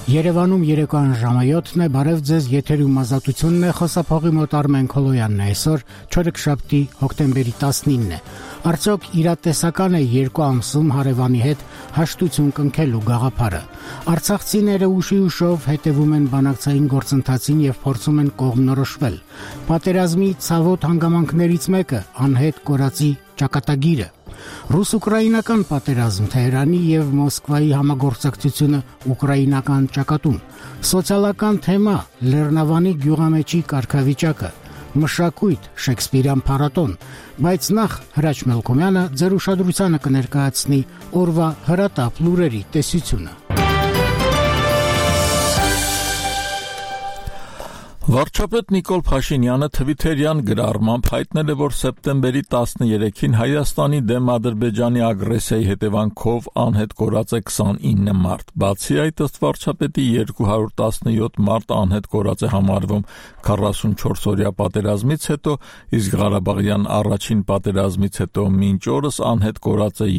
Երևանում երեկոյան ժամը 7-ն է, բարև ձեզ, եթերում ազատությունն է, խոսափողի մոտ Արմեն Քոլոյանն է, այսօր չորեքշաբթի հոկտեմբերի 19-ն է։ Արդյոք իրատեսական է 2 ամսում հարևանի հետ հաշտություն կնքելու գաղափարը։ Արցախցիները ուշով հետևում են բանակցային գործընթացին եւ փորձում են կողմնորոշվել։ Պատերազմի ցավոտ հանգամանքներից մեկը անհետ կորածի ճակատագիրը։ Ռուս-ուկրաինական պատերազմ, Թեհրանի եւ Մոսկվայի համագործակցությունը ուկրաինական ճակատում, սոցիալական թեմա, Լեռնավանի գյուղամեջի կարգավիճակը, մշակույթ, Շեքսպիրյան փառատոն, բայց նախ Հրաչ Մելքոմյանը ձեր ուշադրությանը կներկայացնի օրվա հրատապ լուրերի տեսությունը։ Վարչապետ Նիկոլ Փաշինյանը Թվիթերյան գրառմամբ հայտնել է, որ սեպտեմբերի 13-ին Հայաստանի դեմ Ադրբեջանի ագրեսիայի հետևանքով անհետ կորած է 29 մարդ։ Բացի այդ, ըստ վարչապետի 217 մարդ անհետ կորած է համարվում 44-օրյա պատերազմից հետո, իսկ Ղարաբաղյան առաջին պատերազմից հետո մինչ օրս անհետ կորած է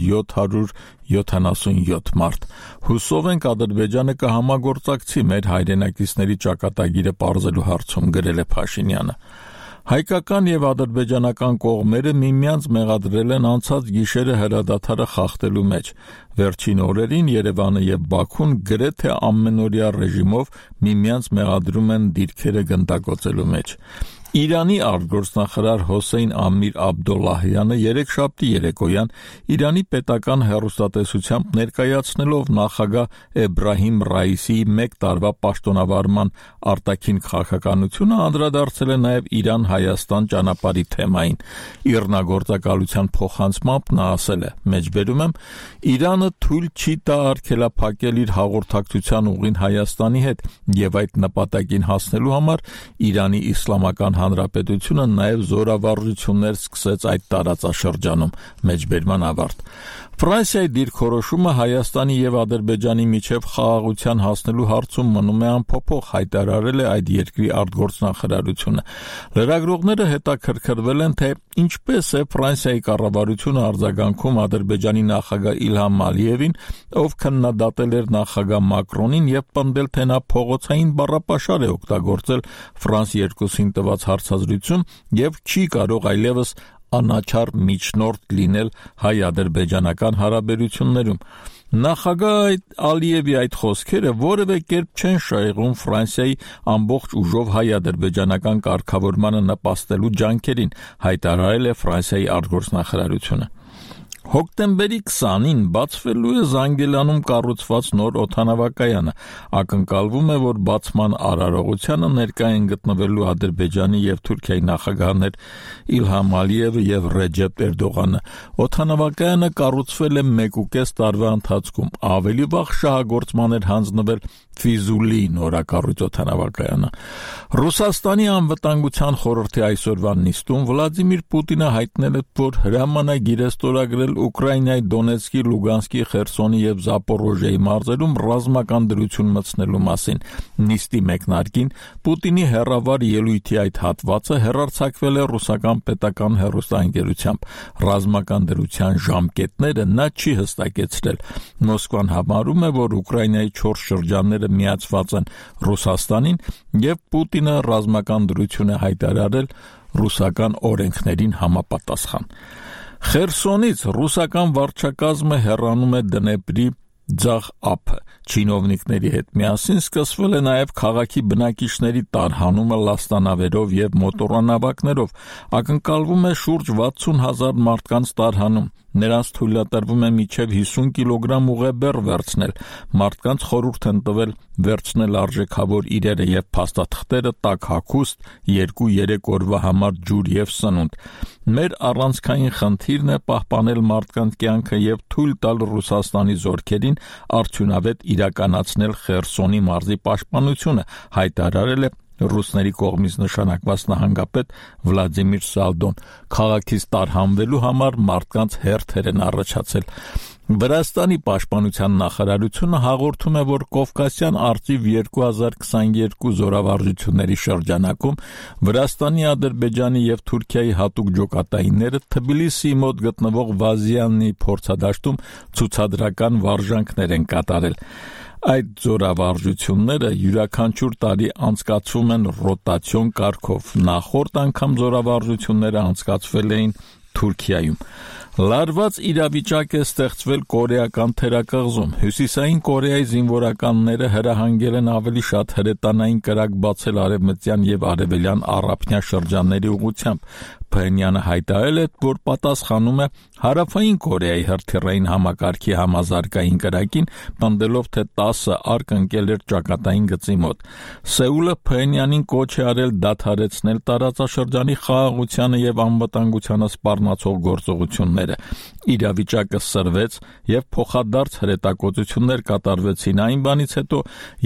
777 մարդ։ Հուսով ենք Ադրբեջանը կհամագործակցի մեր հայրենակիցների ճակատագիրը պարզելու հարցում, գրել է Փաշինյանը։ Հայկական եւ ադրբեջանական կողմերը միմյանց մեղադրել են անցած գիշերը հրադադարը խախտելու մեջ։ Վերջին օրերին Երևանը եւ Բաքուն գրեթե ամենօրյա ռեժիմով միմյանց մեղադրում են դիրքերը գնդակոծելու մեջ։ Իրանի արտգործնախարար Հոսեյն Ամիր Աբդոլլահյանը երեքշաբթի երեկոյան Իրանի պետական հեռուստատեսությամբ ներկայացնելով նախագահ Էբրահիմ Ռայիսիի 1 տարվա պաշտոնավարման արտաքին քաղաքականությունը անդրադարձել է նաև Իրան-Հայաստան ճանապարհի թեմային։ Իռնագործակալության փոխանցմամբ նա ասել է. «Մեջբերում եմ, Իրանը թույլ չի տա արգելափակել իր հաղորդակցության ուղին Հայաստանի հետ եւ այդ նպատակին հասնելու համար Իրանի Իսլամական Հանրապետությունը նաև զորավարժություններ սկսեց այդ տարածաշրջանում», մեջբերման ավարտ։ Ֆրանսիայի դիրքորոշումը Հայաստանի եւ Ադրբեջանի միջև խաղաղության հասնելու հարցում մնում է անփոփոխ, հայտարարել է այդ երկրի արտգործնախարարությունը։ Լրագրողները հետաքրքրվել են, թե ինչպես է Ֆրանսիայի կառավարությունը արձագանքում Ադրբեջանի նախագահ Իլհամ Ալիևին, ով քննադատել էր նախագահ Մակրոնին եւ պնդել, թե նա փողոցային բառապաշար է օգտագործել Ֆրանս 2-ին տված հարցազրույցում եւ չի կարող այլևս անաչառ միջնորդ լինել հայ-ադրբեջանական հարաբերություններում։ Նախագահ Ալիևի այդ խոսքերը որևէ կերպ չեն շահեղում Ֆրանսիայի ամբողջ ուժով հայ-ադրբեջանական կարգավորմանը նպաստելու ջանքերին, հայտարարել է Ֆրանսիայի արտգործնախարարությունը։ Հոկտեմբերի 20-ին բացվելու է Զանգելանում կառուցված նոր օդանավակայանը։ Ակնկալվում է, որ բացման արարողությանը ներկա են գտնվելու Ադրբեջանի եւ Թուրքիայի նախագահներ Իլհամ Ալիևը եւ Ռեջեփ Էրդողանը։ Օդանավակայանը կառուցվել է 1.5 տարվա ընթացքում։ Ավելի վաղ շահագործման էր հանձնվել Ֆիզուլի նորակառույց օդանավակայանը։ Ռուսաստանի անվտանգության խորհրդի այսօրվա նիստում Վլադիմիր Պուտինը հայտնել է, որ հրամանագիր է ստորագրել Ուկրաինայի Դոնեցկի, Լուգանսկի, Խերսոնի եւ Զապորոժիայի մարզերում ռազմական դրություն մտցնելու մասին։ Նիստի մեկնարկին Պուտինի հեռավար ելույթի այդ հատվածը հեռարձակվել է ռուսական պետական հեռուստաընկերությամբ։ Ռազմական դրության ժամկետները նա չի հստակեցրել։ Մոսկվան համարում է, որ Ուկրաինայի 4 շրջանները միացված են Ռուսաստանին եւ Պուտինը ռազմական դրություն է հայտարարել ռուսական օրենքներին համապատասխան։ Խերսոնից ռուսական վարչակազմը հեռանում է Դնեպրի ձախ ափը։ Չինովնիկների հետ միասին սկսվել է նաև քաղաքի բնակիչների տարհանումը լաստանավերով եւ մոտորանավակներով։ Ակնկալվում է շուրջ 60,000 մարդկանց տարհանում։ Նրանց թույլատրվում է մինչև 50 կիլոգրամ ուղեբեռ վերցնել։ Մարդկանց խորհուրդ են տվել վերցնել արժեքավոր իրերը եւ փաստաթղթերը, տաք հագուստ, 2-3 օրվա համար ջուր եւ սնունդ։ Մեր առանցքային խնդիրն է պահպանել մարդկանց կյանքը եւ թույլ տալ Ռուսաստանի զորքերին արդյունավետ իրականացնել Խերսոնի մարզի պաշտպանությունը, հայտարարել է ռուսների կողմից նշանակված նահանգապետ Վլադիմիր Սալդոն։ Քաղաքից տարհանվելու համար մարդկանց հերթեր են առաջացել։ Վրաստանի պաշտպանության նախարարությունը հաղորդում է, որ Կովկասյան արծիվ 2022 զորավարժությունների շրջանակում Վրաստանի, Ադրբեջանի եւ Թուրքիայի հատուկ ջոկատայինները Թբիլիսիի մոտ գտնվող Վազիաննի փորձադաշտում ցուցադրական վարժանքներ են կատարել։ Այդ զորավարժությունները յուրաքանչյուր տարի անցկացվում են ռոտացիոն կարգով։ Նախորդ անգամ զորավարժությունները անցկացվել էին Թուրքիայում։ Լարված իրավիճակ է ստեղծվել կորեական թերակղզում։ Հյուսիսային Կորեայի զինվորականները հրահանգել են ավելի շատ հրետանային կրակ բացել արևմտյան եւ արևելյան առափնյա շրջանների ուղղությամբ։ Փենյանը հայտարարել է, որ պատասխանում է Հարավային Կորեայի հրթիռային համակարգի համազարգային կրակին, պնդելով, թե 10 արկ ընկել էր ճակատային գծի մոտ։ Սեուլը Փենյանին կոչ է արել դադարեցնել տարածաշրջանի խաղաղությանը եւ անվտանգությանը սպառնացող գործողությունները։ Իրավիճակը սրվեց եւ փոխադարձ հրետակոծություններ կատարվեցին այն բանից հետո,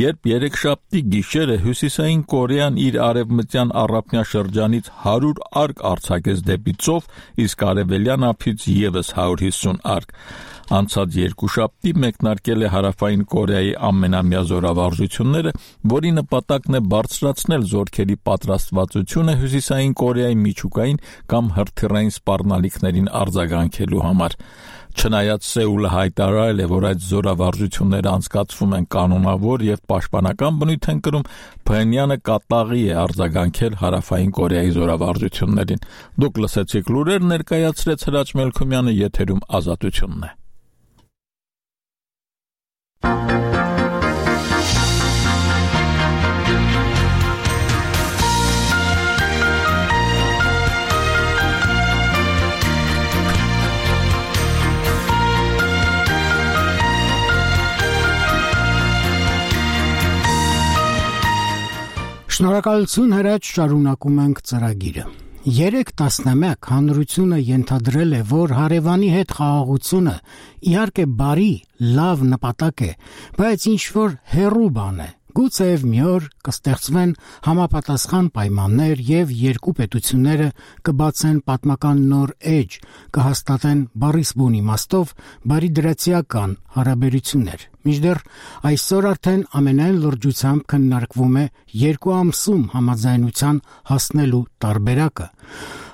երբ երեքշաբթի գիշերը Հյուսիսային Կորեան իր արևմտյան առափնյա շրջանից 100 արկ արձակեց դեպի ծով, իսկ արևելյան ափից եւս 150 արկ։ Անցած երկուշաբթի մեկնարկել է Հարավային Կորեայի ամենամյա զորավարժությունները, որի նպատակն է բարձրացնել զորքերի պատրաստվածությունը Հյուսիսային Կորեայի միջուկային կամ հրթիռային սպառնալիքներին արձագանքելու համար։ Չնայած Սեուլը հայտարարել է, որ այդ զորավարժությունները անցկացվում են կանոնավոր եւ պաշտպանական բնույթ են կրում, Փենյանը կատաղի է արձագանքել Հարավային Կորեայի զորավարժություններին։ Դուք լսեցիք լուրեր, ներկայացրեց Հրաչ Մելքումյանը, եթերում Ազատությունն է։ Շնորհակալություն Հրաչ, շարունակում ենք ծրագիրը։ 3-11 հանրությունը ենթադրել է, որ հարևանի հետ խաղաղությունը իհարկե բարի, լավ նպատակ է, բայց ինչ-որ հեռու բան է։ Գուցեև մի օր կստեղծվեն համապատասխան պայմաններ եւ երկու պետությունները կբացեն պատմական նոր էջ, կհաստատեն բառիս բուն իմաստով բարիդրացիական հարաբերություններ։ Մինչդեռ այսօր արդեն ամենայն լրջությամբ քննարկվում է 2 ամսում համաձայնության հասնելու տարբերակը։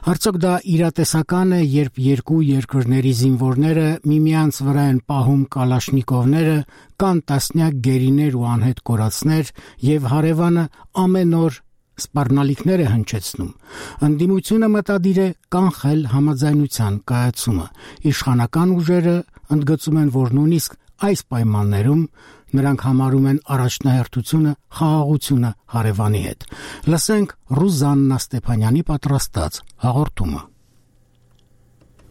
Արդյոք դա իրատեսական է, երբ երկու երկրների զինվորները միմյանց վրա են պահում կալաշնիկովները, կան տասնյակ գերիներ ու անհետ կորածներ եւ հարևանը ամեն օր սպառնալիքներ է հնչեցնում։ Ընդդիմությունը մտադիր է կանխել համաձայնության կայացումը։ Իշխանական ուժերը ընդգծում են, որ նույնիսկ այս պայմաններում նրանք համարում են առաջնահերթությունը խաղաղությունը հարևանի հետ։ Լսենք Ռուզաննա Ստեփանյանի պատրաստած հաղորդումը։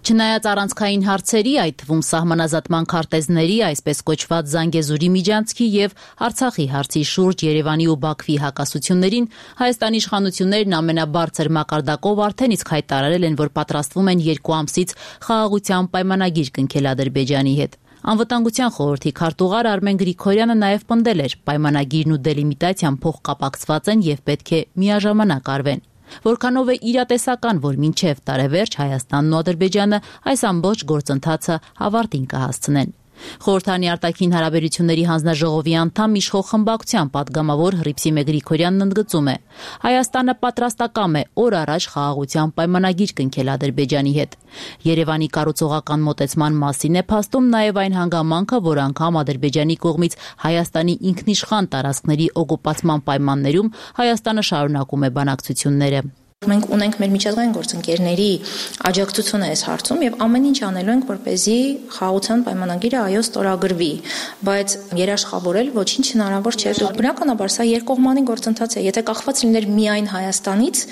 Չնայած առանցքային հարցերի, այդ թվում սահմանազատման քարտեզների, այսպես կոչված Զանգեզուրի միջանցքի եւ Արցախի հարցի շուրջ Երևանի ու Բաքվի հակասություններին, Հայաստանի իշխանություններն ամենաբարձր մակարդակով արդեն իսկ հայտարարել են, որ պատրաստվում են 2 ամսից խաղաղության պայմանագիր կնքել Ադրբեջանի հետ։ Անվտանգության խորհրդի քարտուղար Արմեն Գրիգորյանը նաև պնդել էր, պայմանագիրն ու դելիմիտացիան փոխկապակցված են եւ պետք է միաժամանակ արվեն։ Որքանով է իրատեսական, որ մինչև տարեվերջ Հայաստանն ու Ադրբեջանը այս ամբողջ գործընթացը ավարտին կհասցնեն։ Խորհրդանի արտաքին հարաբերությունների հանձնաժողովի անդամ իշխող խմբակցության падգամավոր Հռիփսիմե Գրիգորյանն ընդգծում է. Հայաստանը պատրաստակամ է օր առաջ խաղաղության պայմանագիր կնքել Ադրբեջանի հետ։ Երևանի կառուցողական մոտեցման մասին է փաստում նաև այն հանգամանքը, որ անգամ Ադրբեջանի կողմից Հայաստանի ինքնիշխան տարածքների օկուպացման պայմաններում Հայաստանը շարունակում է բանակցությունները։ Մենք ունենք մեր միջազգային գործընկերների աջակցությունը այս հարցում եւ ամեն ինչ անելու ենք, որպեսզի խաղաղության պայմանագիրը այո ստորագրվի, բայց երաշխավորել ոչինչ հնարավոր չէ։ Բնականաբար սա երկկողմանի գործընթաց է։ Եթե կախված լիներ միայն Հայաստանից,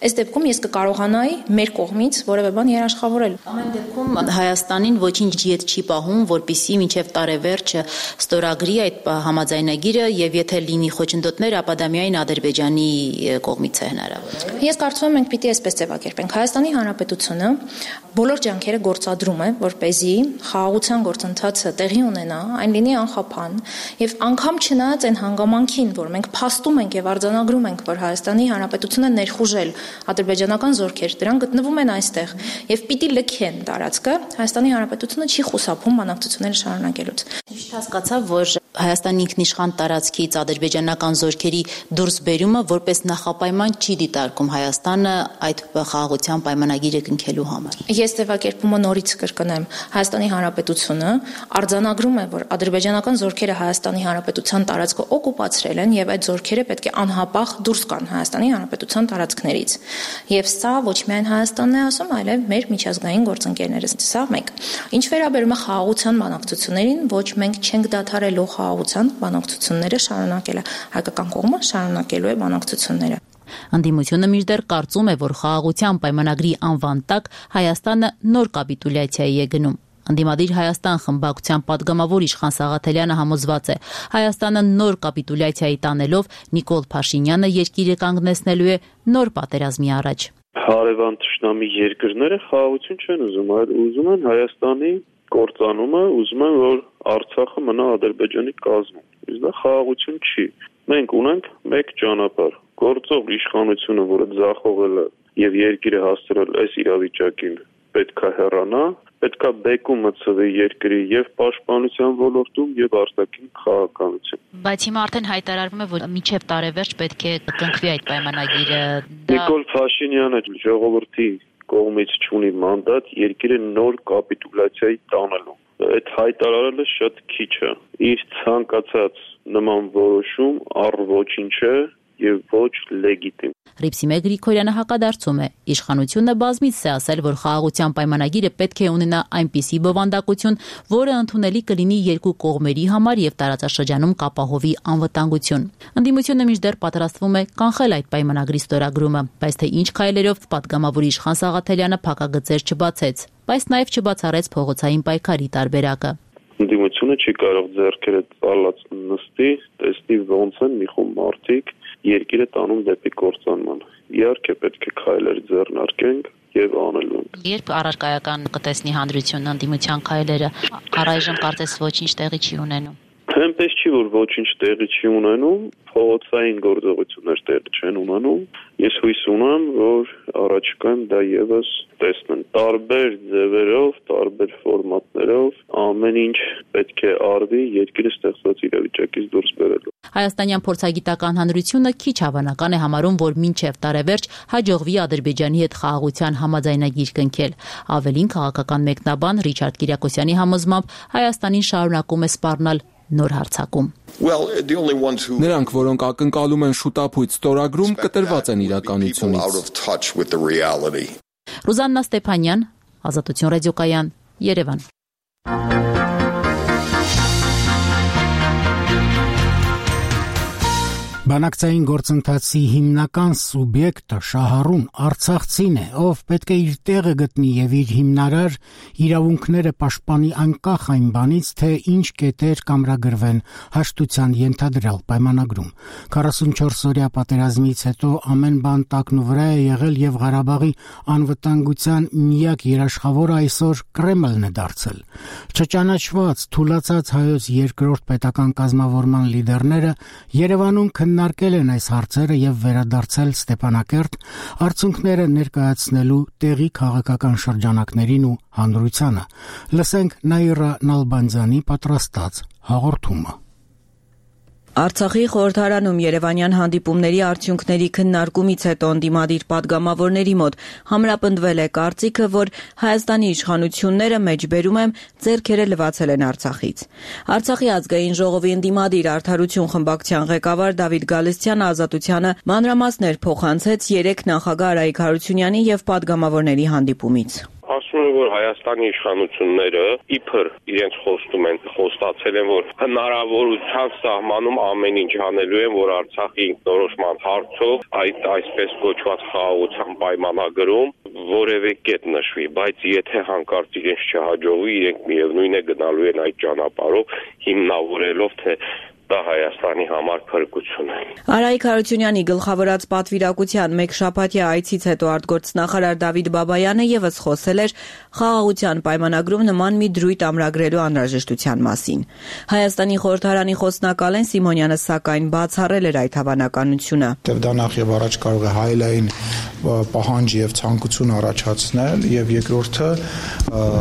այս դեպքում ես կկարողանայի մեր կողմից որևէ բան երաշխավորել։ Ամեն դեպքում Հայաստանին ոչինչ ջիետ չի պահում, որպեսզի մինչև տարեվերջը ստորագրի այդ համաձայնագիրը եւ եթե լինի խոչընդոտներ, ապա դա միայն Ադրբեջանի կողմից է հնարավոր։ Ես կարծում եմ մենք պիտի այսպես ձևակերպենք։ Հայաստանի Հանրապետությունը բոլոր ջանքերը գործադրում է, որպեսզի խաղաղության գործընթացը տեղի ունենա, այն լինի անխափան եւ անգամ չնայած այն հանգամանքին, որ մենք փաստում ենք եւ արձանագրում ենք, որ Հայաստանի Հանրապետությունը ներխուժել ադրբեջանական զորքեր, դրանք գտնվում են այստեղ եւ պիտի լքեն տարածքը, Հայաստանի Հանրապետությունը չի խուսափում բանակցությունները շարունակելուց։ Միշտ հասկացա, որ Հայաստանի ինքնիշխան տարածքից ադրբեջանական զորքերի դուրսբերումը որպես նախապայման չի դիտարկում Հայաստանը այդ խաղաղության պայմանագիրը կնքելու համար։ Ես ձևակերպումը նորից կրկնեմ, Հայաստանի Հանրապետությունը արձանագրում է, որ ադրբեջանական զորքերը Հայաստանի Հանրապետության տարածքը օկուպացրել են եւ այդ զորքերը պետք է անհապաղ դուրս գան Հայաստանի Հանրապետության տարածքներից։ Եվ սա ոչ միայն Հայաստանն է ասում, այլև մեր միջազգային գործընկերները։ Սա մեկ։ Ինչ վերաբերում է խաղաղության բանակցություններին, ոչ մենք չենք դադարելու խաղաղության բանակցությունները շարունակելը, հայկական կողմը շարունակելու է բանակցությունները։ Ընդդիմությունը մինչդեռ կարծում է, որ խաղաղության պայմանագրի անվան տակ Հայաստանը նոր կապիտուլյացիայի է գնում։ Ընդդիմադիր Հայաստան խմբակցության падգամավոր Իշխան Սաղաթելյանը համոզված է, Հայաստանը նոր կապիտուլյացիայի տանելով Նիկոլ Փաշինյանը երկիրը կանգնեցնելու է նոր պատերազմի առաջ։ Հարևան թշնամի երկրները խաղաղություն չեն ուզում, այլ ուզում են Հայաստանի կործանումը, ուզում են, որ Արցախը մնա Ադրբեջանի կազմում։ Իսկ դա խաղաղություն չի։ Մենք ունենք մեկ ճանապարհ։ Գործող իշխանությունը, որը ձախողել է եւ երկիրը հասցրել այս իրավիճակին, պետք է հեռանա, պետք է բեկում մտցվի երկրի եւ պաշտպանության ոլորտում եւ արտաքին խաղաղականություն։ Բայց հիմա արդեն հայտարարվում է, որ մինչև տարեվերջ պետք է կնքվի այդ պայմանագիրը։ Նիկոլ Փաշինյանը ժողովրդի կողմից չունի մանդատ երկիրը նոր կապիտուլյացիայի տանելու։ Այդ հայտարարելը շատ քիչ է։ Իր ցանկացած նման որոշում ոչինչ է եւ ոչ լեգիտիմ։ Հռիփսիմե Գրիգորյանը հակադարձում է. Իշխանությունը բազմիցս է ասել, որ խաղաղության պայմանագիրը պետք է ունենա այնպիսի բովանդակություն, որը ընդունելի կլինի երկու կողմերի համար եւ տարածաշրջանում կապահովի անվտանգություն։ Ընդդիմությունը մինչդեռ պատրաստվում է կանխել այդ պայմանագրի ստորագրումը, բայց թե ինչ քայլերով падգամավոր Իշխան Սաղաթելյանը փակագծեր չբացեց, բայց նաեւ չբացառեց փողոցային պայքարի տարբերակը։ Ընդդիմությունը չի կարող ձեռքերը ծալած նստի, տեսնի ոնց են մի խումբ մարդիկ երկիրը տանում դեպի կործանման։ Իհարկե պետք է քայլեր ձեռնարկենք եւ անելու ենք։ Երբ առարկայական կտեսնի հանրությունն ընդդիմության քայլերը, առայժմ կարծես ոչինչ տեղի չի ունենում։ Այնպես չի, որ ոչինչ տեղի չի ունենում, փողոցային գործողություններ տեղի չեն ունենում։ Ես հույս ունեմ, որ առաջիկայում դա եւս տեսնեն տարբեր ձևերով, տարբեր ֆորմատներով, ամեն ինչ պետք է արվի երկիրը ստեղծված իրավիճակից դուրս բերելու։ Հայաստանյան փորձագիտական հանրությունը քիչ հավանական է համարում, որ մինչև տարեվերջ հաջողվի Ադրբեջանի հետ խաղաղության համաձայնագիր կնքել։ Ավելին քաղաքական մեկնաբան Ռիչարդ Կիրակոսյանի համոզմամբ Հայաստանին շարունակում է սպառնալ նոր հարձակում։ Նրանք, որոնք ակնկալում են շուտապույտ ստորագրում, կտրված են իրականությունից։ Ռուզաննա Ստեփանյան, Ազատություն ռադիոկայան, Երևան։ Բանակցային գործընթացի հիմնական սուբյեկտը շահառուն արցախցին է, ով պետք է իր տեղը գտնի եւ իր հիմնարար իրավունքները պաշտպանի անկախ այն բանից, թե ինչ կետեր կամրագրվեն հաշտության ենթադրյալ պայմանագրում։ 44-օրյա պատերազմից հետո ամեն բան տակնու վրա է եղել եւ Ղարաբաղի անվտանգության միակ երաշխավորը այսօր Կրեմլն է դարձել։ Չճանաչված, թուլացած հայոց երկրորդ պետական կազմավորման լիդերները Երևանում քննարկել են այս հարցերը եւ վերադարձել Ստեփանակերտ, արդյունքները ներկայացնելու տեղի քաղաքական շրջանակներին ու հանրությանը։ Լսենք Նաիրա Նալբանդյանի պատրաստած հաղորդումը։ Արցախի խորհրդարանում Երևանյան հանդիպումների արդյունքների քննարկումից հետո ընդդիմադիր падգամավորների մոտ համապնդվել է կարծիքը, որ Հայաստանի իշխանությունները մեջբերում են ձեռքերը լվացել են Արցախից։ Արցախի ազգային ժողովի ընդդիմադիր Արդարություն խմբակցության ղեկավար Դավիթ Գալստյանը Ազատությանը մանրամասներ փոխանցեց 3 նախագահ Արայիկ Հարությունյանի եւ падգամավորների հանդիպումից։ Ասում են, որ Հայաստանի իշխանությունները իբր իրենց խոստում են, խոստացել են, որ հնարավորության սահմանում ամեն ինչ անելու են, որ Արցախի ինքնորոշման հարցով այդ այսպես կոչված խաղաղության պայմանագրում որևէ կետ նշվի, բայց եթե հանկարծ իրենց չհաջողվի, իրենք միևնույն է գնալու են այդ ճանապարհով, հիմնավորելով թե դա Հայաստանի համար փրկություն է։ Արայիկ Հարությունյանի գլխավորած պատվիրակության մեկ շաբաթյա այցից հետո արտգործնախարար Դավիթ Բաբայանը եւս խոսել էր խաղաղության պայմանագրում նման մի դրույթ ամրագրելու անհրաժեշտության մասին։ Հայաստանի խորհրդարանի խոսնակ Ալեն Սիմոնյանը սակայն բացառել էր այդ հավանականությունը։ Դա նախ եւ առաջ կարող է հայելային պահանջ եւ ցանկություն առաջացնել, եւ երկրորդը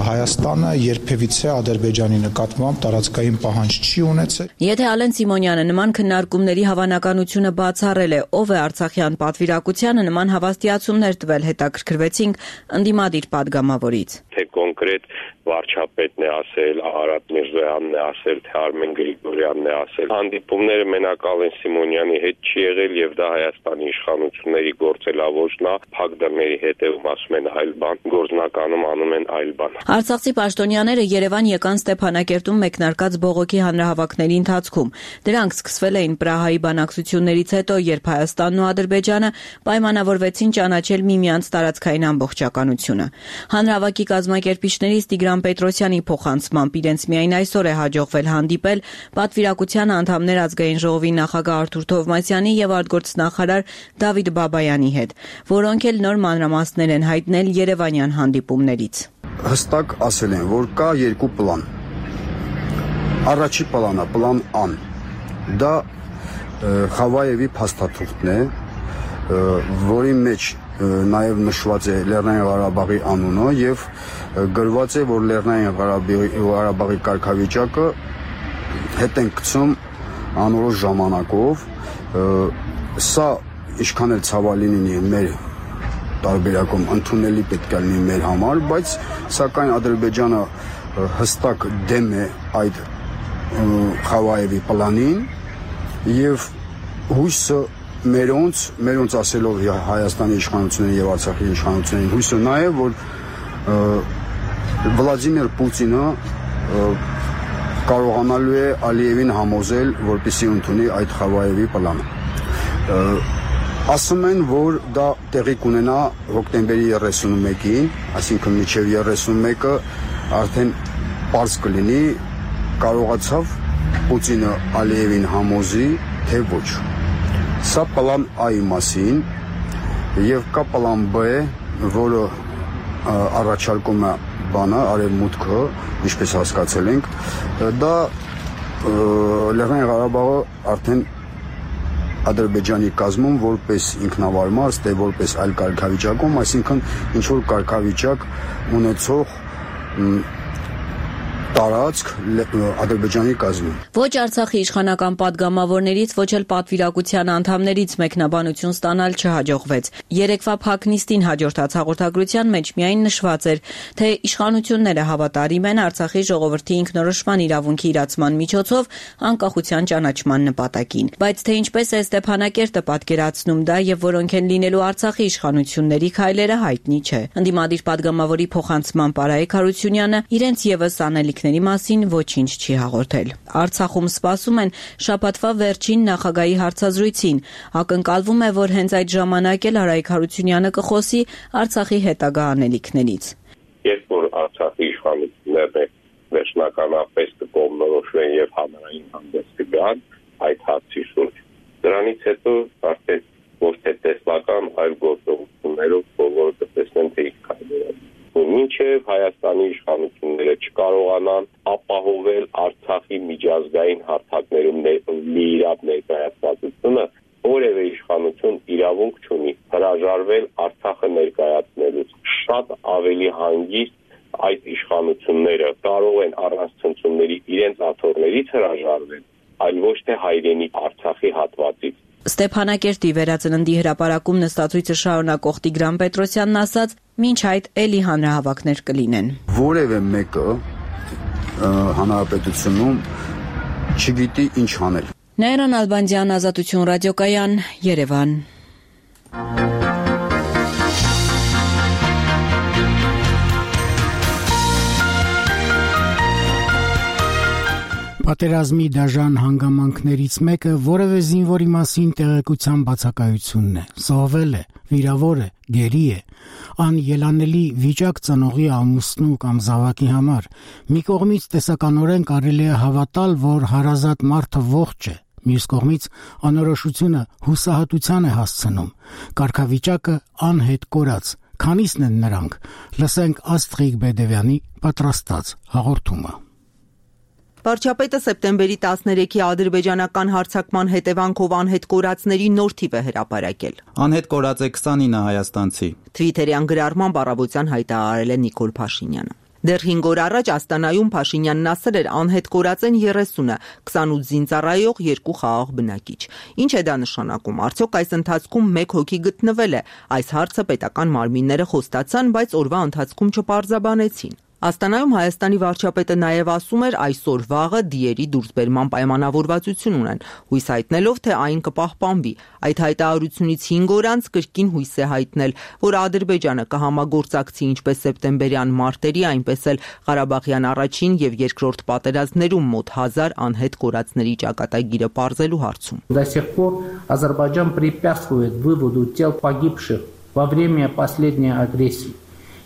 Հայաստանը երբևիցե Ադրբեջանի նկատմամբ տարածքային պահանջ չի ունեցել։ Եթե Ալեն Սիմոնյանը նման քննարկումների հավանականությունը բացառել է, ով է Արցախյան պատվիրակությանը նման հավաստիացումներ տվել, հետաքրքրվեցինք ընդդիմադիր падգամավորից։ Թե կոնկրետ վարչապետն է ասել, Արարատ Միրզոյանն է ասել, թե Արմեն Գրիգորյանն է ասել։ Հանդիպումները մենակ Ալեն Սիմոնյանի հետ չի եղել եւ դա Հայաստանի իշխանությունների գործելավոճն է, փակ դռների հետևում ասում են այլ բան, գործնականում անում են այլ բան։ Արցախցի պաշտոնյաները Երևան եկան Ստեփանակերտում մեկնարկած բողոքի հանրահավաքների ընթացքում։ Դրանք սկսվել էին Պրահայի բանակցություններից հետո, երբ Հայաստանն ու Ադրբեջանը պայմանավորվեցին ճանաչել միմյանց տարածքային ամբողջականությունը։ Հանրահավաքի կազմակերպիչներից Տիգրան Պետրոսյանի փոխանցմամբ իրենց միայն այսօր է հաջողվել հանդիպել պատվիրակության անդամներ ազգային ժողովի նախագահ Արթուր Թովմասյանի եւ արտգործնախարար Դավիթ Բաբայանի հետ, որոնք էլ նոր մանրամասներ են հայտնել երևանյան հանդիպումներից։ Հստակ ասել են, որ կա երկու պլան։ Առաջի պլանը, պլան Ան, դա Խավայևի փաստաթուղթն է, որի մեջ նաև նշված է Լեռնային Ղարաբաղի անունը եւ գրված է, որ Լեռնային Ղարաբաղի կարգավիճակը հետ են գցում անորոշ ժամանակով։ Սա ինչքան էլ ցավալի լինի մեր տարբերակում ընդունելի պետք է լինի մեր համար, բայց սակայն Ադրբեջանը հստակ դեմ է այդ Խավայևի պլանին եւ հույսը մերոնց ասելով Հայաստանի իշխանություններին եւ Արցախի իշխանություններին հույսը նա է, որ Վլադիմիր Պուտինը կարողանալու է Ալիևին համոզել, որպեսզի ընդունի այդ Խավայևի պլանը։ Ասում են, որ դա տեղի կունենա հոկտեմբերի 31-ին, այսինքն մինչև 31-ը արդեն պարզ կլինի, կարողացավ Պուտինը Ալիևին համոզի, թե ոչ։ Սա պլան A-ի մասին եւ կա պլան B, որը առաջարկում է բանը արևմուտքը, ինչպես հասկացել ենք, դա Լեռնային Ղարաբաղը արդեն Ադրբեջանի կազմում որպես ինքնավար մարդ, որպես այլ կարգավիճակում, այսինքն ինչ որ կարգավիճակ ունեցող տարածք Ադրբեջանի կազմում։ Ոչ Արցախի իշխանական падգամավորներից, ոչ էլ պատվիրակության անդամներից մեկնաբանություն ստանալ չհաջողվեց։ Երեկվա փակնիստին հաջորդած հաղորդագրության մեջ միայն նշված էր, թե իշխանությունները հավատարիմ են Արցախի ժողովրդի ինքնորոշման իրավունքի իրացման միջոցով անկախության ճանաչման նպատակին։ Բայց թե ինչպես է Ստեփանակերտը պատկերացնում դա եւ որոնք են լինելու Արցախի իշխանությունների քայլերը հայտնի չէ։ Ընդդիմադիր падգամավորի փոխանցման Արայիկ Հարությունյանը իրենց եւս անելիք մասին ոչինչ չի հաղորդել։ Արցախում սպասում են շաբաթվա վերջին նախագահի հարցազրույցին։ Ակնկալվում է, որ հենց այդ ժամանակ էլ Արայիկ Հարությունյանը կխոսի Արցախի հետագա անելիքներից։ Երբ որ Արցախի իշխանությունները վերջնականապես կկողմնորոշվեն եւ հանրային հանդես կգան այդ հարցի շուրջ, դրանից հետո արդեն ոչ թե տեսլական, այլ գործողություններով բոլորը կտեսնեն, թե ինչ կայացնի։ Մինչև Հայաստանի իշխանությունները չկարողանան ապահովել Արցախի միջազգային հարթակներում լիիրավ ներկայացվածությունը, որևէ իշխանություն իրավունք չունի հրաժարվել Արցախը ներկայացնելուց։ Շատ ավելի հանգիստ այդ իշխանությունները կարող են առանց ցնցումների իրենց աթոռներից հրաժարվել, այլ ոչ թե հայրենի Արցախի հատվածից։ Ստեփանակերտի վերածննդի հրապարակում նստածույցը շարունակող Տիգրան Պետրոսյանն ասաց, մինչ այդ էլի հանրահավաքներ կլինեն։ Որևէ մեկը հանրապետությունում չգիտի ինչ անել։ Նայիրան Ալբանդյան, Ազատություն ռադիոկայան, Երևան։ Պատերազմի դաժան հանգամանքներից մեկը որևէ զինվորի մասին տեղեկության բացակայությունն է։ Զոհվել է, վիրավոր է, գերի է։ Անելանելի վիճակ ծնողի ամուսնու կամ զավակի համար։ Մի կողմից տեսականորեն կարելի է հավատալ, որ հարազատ մարդը ողջ է, մյուս կողմից անորոշությունը հուսահատության է հասցնում։ Կարգավիճակը անհետ կորած։ Քանիսն են նրանք։ Լսենք Աստղիկ Բեդևյանի պատրաստած հաղորդումը։ Վարչապետը սեպտեմբերի 13-ի ադրբեջանական հարձակման հետևանքով անհետ կորածների նոր թիվ է հրապարակել։ Անհետ կորած է 29 հայաստանցի։ Թվիթերյան գրառմամբ առավոտյան հայտարարել է Նիկոլ Փաշինյանը։ Դեռ 5 օր առաջ Աստանայում Փաշինյանն ասել էր անհետ կորած են 30-ը, 28 զինծառայող, 2 խաղաղ բնակիչ։ Ինչ է դա նշանակում։ Արդյոք այս ընթացքում 1 հոգի գտնվել է։ Այս հարցը պետական մարմինները խոստացան, բայց օրվա ընթացքում չպարզաբանեցին։ Աստանայում Հայաստանի վարչապետը նաև ասում էր այսօր վաղը դիերի դուրսբերման պայմանավորվածություն ունեն, հույս հայտնելով, թե այն կպահպանվի։ Այդ հայտարարությունից 5 օր անց կրկին հույս է հայտնել, որ Ադրբեջանը կհամագործակցի ինչպես սեպտեմբերյան մարտերի, այնպես էլ Ղարաբաղյան առաջին եւ երկրորդ պատերազմներում մոտ 1000 անհետ կորածների ճակատագիրը պարզելու հարցում։ До сих пор Азербайджан препятствует выводу тел погибших во время последней агрессии.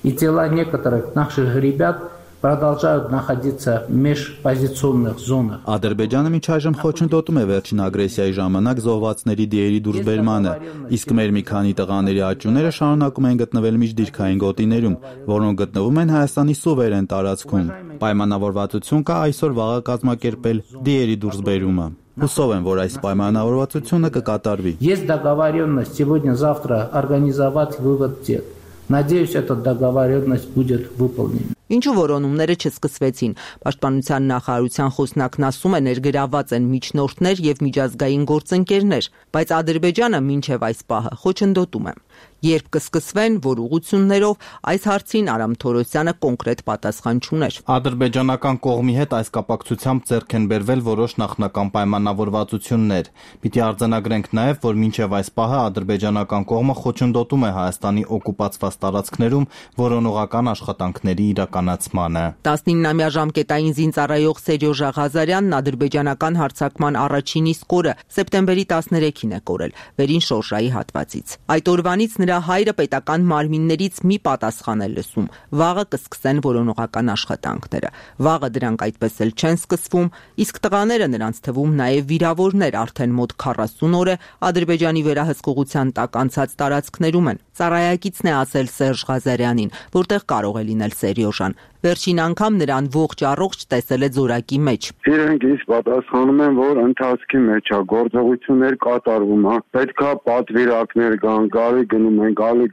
И тела некоторых наших ребят продолжают находиться в межпозиционных зонах. Ադրբեջանը մինչ այժմ խոչընդոտում է վերջին ագրեսիայի ժամանակ զոհվածների դիերի դուրսբերմանը, իսկ մեր մի քանի տղաների աճուները շարունակում են գտնվել միջդիրքային գոտիներում, որոնք գտնվում են Հայաստանի սուվերեն տարածքում։ Պայմանավորվածություն կա այսօր վաղը կազմակերպել դիերի դուրսբերումը։ Հուսով եմ, որ այս պայմանավորվածությունը կկատարվի։ Есть договоренность сегодня-завтра организовать вывод тел. Надеюсь, эта договоренность будет выполнена. Ինչու որոնումները չսկսվեցին։ Պաշտպանության նախարարության խոսնակն ասում է ներգրավված են միջնորդներ եւ միջազգային գործընկերներ, բայց Ադրբեջանը մինչեւ այս պահը խոչընդոտում է։ Երբ կսկսվեն, որ ուղղություններով, այս հարցին Արամ Թորոսյանը կոնկրետ պատասխան չուներ։ Ադրբեջանական կողմի հետ այս կապակցությամբ ձեռք են բերվել որոշ նախնական պայմանավորվածություններ։ Պիտի արձանագրենք նաեւ, որ մինչեւ այս պահը ադրբեջանական կողմը խոչընդոտում է Հայաստանի օկուպացված տարածքներում որոնողական աշխատանքների իրականացմանը։ 19-ամյա ժամկետային զինծառայող Սերյոժա Ղազարյանն ադրբեջանական հարձակման առաջին իսկ օրը սեպտեմբերի 13-ին է կորել վերին շորժայի հատվածից։ Այդ օրվանից նրա հայրը պետական մարմիններից մի պատասխան է լսում։ Վաղը կսկսեն որոնողական աշխատանքները։ Վաղը դրանք այդպես էլ չեն սկսվում, իսկ տղաները նրանց թվում նաև վիրավորներ արդեն մոտ 40 օր է Ադրբեջանի վերահսկողության տակ անցած տարածքներում են։ Ծառայակիցն է ասել Սերժ Ղազարյանին, որտեղ կարող է լինել Սերյոժան։ Վերջին անգամ նրան ողջ առողջ տեսել է ձորակի մեջ։ Իրենք ինձ պատասխանում են, որ ընթացքի մեջ է, գործողություններ կատարվում է, պետքա պատվիրակներ կան, գալի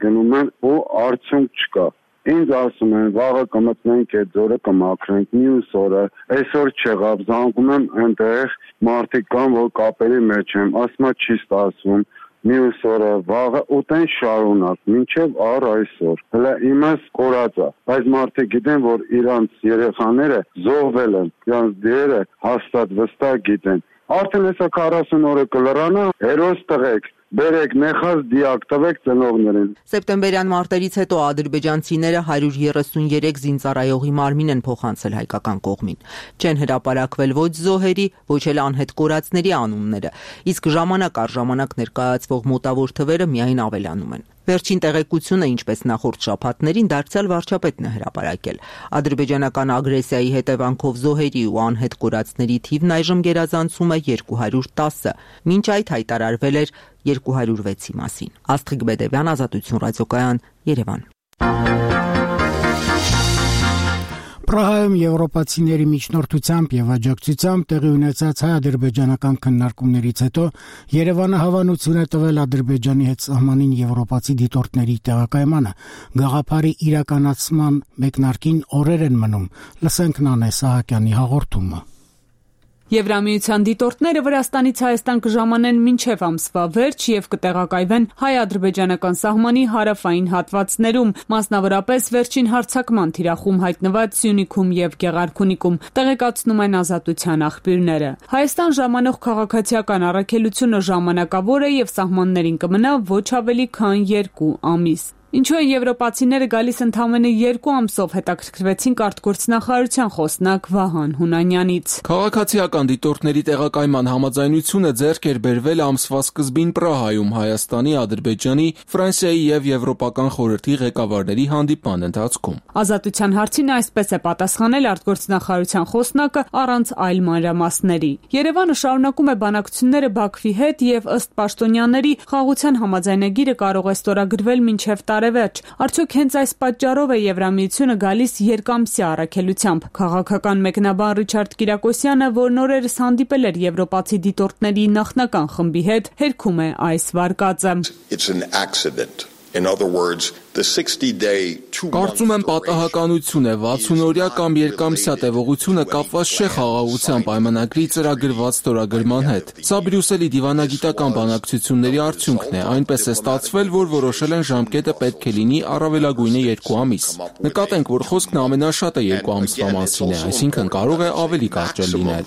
գնում են ու արդյունք չկա։ Ինձ ասում են, վաղը կմտնենք այդ ձորը կմաքրենք, մյուս օրը, այսօր չեղավ, զանգում եմ այնտեղ մարդիկ կան, որ կապերի մեջ եմ, ասում չի ստացվում։ Մյուս օրը վաղը ուտեն շարունակ, մինչև առ այսօր։ Հələ իմս կորած է, բայց մարդիկ գիտեն, որ իրանց երեխաները զոհվել են, իրանց դերը հաստատ վստահ գիտեն։ Արդեն հեսա 40 օրը կլրանա, հերոս տղեկ, բերեք նեխած դիակ տվեք ծնողներին։ Սեպտեմբերյան մարտերից հետո ադրբեջանցիները 133 զինծառայողի մարմին են փոխանցել հայկական կողմին։ Չեն հրապարակվել ոչ զոհերի, ոչ էլ անհետ կորածների անունները, իսկ ժամանակ առ ժամանակ ներկայացվող մոտավոր թվերը միայն ավելանում են։ Վերջին տեղեկությունը, ինչպես նախորդ շաբաթներին, դարձյալ վարչապետն է հրապարակել։ Ադրբեջանական ագրեսիայի հետևանքով զոհերի ու անհետ կորածների թիվն այժմ գերազանցում է 210-ը, մինչ այդ հայտարարվել էր 206-ի մասին։ Աստղիկ Բեդևյան, Ազատություն ռադիոկայան, Երևան։ Պրահայում եվրոպացիների միջնորդությամբ եւ աջակցությամբ տեղի ունեցած հայ-ադրբեջանական քննարկումներից հետո Երևանը հավանություն է տվել Ադրբեջանի հետ սահմանին եվրոպացի դիտորդների տեղակայմանը։ Գաղափարի իրականացման մեկնարկին օրեր են մնում։ Լսենք Նանե Սահակյանի հաղորդումը։ Եվրամիության դիտորդները Վրաստանից Հայաստան կժամանեն մինչև ամսվա վերջ եւ կտեղակայվեն հայ-ադրբեջանական սահմանի հարավային հատվածներում, մասնավորապես վերջին հարձակման թիրախում հայտնված Սյունիքում եւ Գեղարքունիքում, տեղեկացնում են Ազատության աղբյուրները։ Հայաստան ժամանող քաղաքացիական առաքելությունը ժամանակավոր է եւ սահմաններին կմնա ոչ ավելի քան 2 ամիս։ Ինչու են եվրոպացիները գալիս ընդամենը 2 ամսով, հետաքրքրվեցինք արտգործնախարարության խոսնակ Վահան Հունանյանից։ Քաղաքացիական դիտորդների տեղակայման համաձայնությունը ձեռք էր բերվել ամսվա սկզբին Պրահայում Հայաստանի, Ադրբեջանի, Ֆրանսիայի եւ Եվրոպական խորհրդի ղեկավարների հանդիպման ընթացքում։ Ազատության հարցին այսպես է պատասխանել արտգործնախարարության խոսնակը առանց այլ մանրամասների։ Երևանը շարունակում է բանակցությունները Բաքվի հետ եւ ըստ պաշտոնյաների խաղաղության համաձայնագիրը կարող է ստորագրվել մինչև տարեվերջ, տարեվերջ։ Արդյոք հենց այս պատճառով է Եվրամիությունը գալիս երկամսյա առաքելությամբ։ Քաղաքական մեկնաբան Ռիչարդ Կիրակոսյանը, որն օրերս հանդիպել էր եվրոպացի դիտորդների նախնական խմբի հետ, հերքում է այս վարկածը. Կարծում եմ պատահականություն է, 60-օրյա կամ երկամսյա տևողությունը կապված չէ խաղաղության պայմանագրի ծրագրված ստորագրման հետ։ Սա Բրյուսելի դիվանագիտական բանակցությունների արդյունքն է, այնպես է ստացվել, որ որոշել են ժամկետը պետք է լինի առավելագույնը 2 ամիս։ Նկատենք, որ խոսքն ամենաշատը 2 ամսվա մասին է, այսինքն կարող է ավելի կարճ լինել։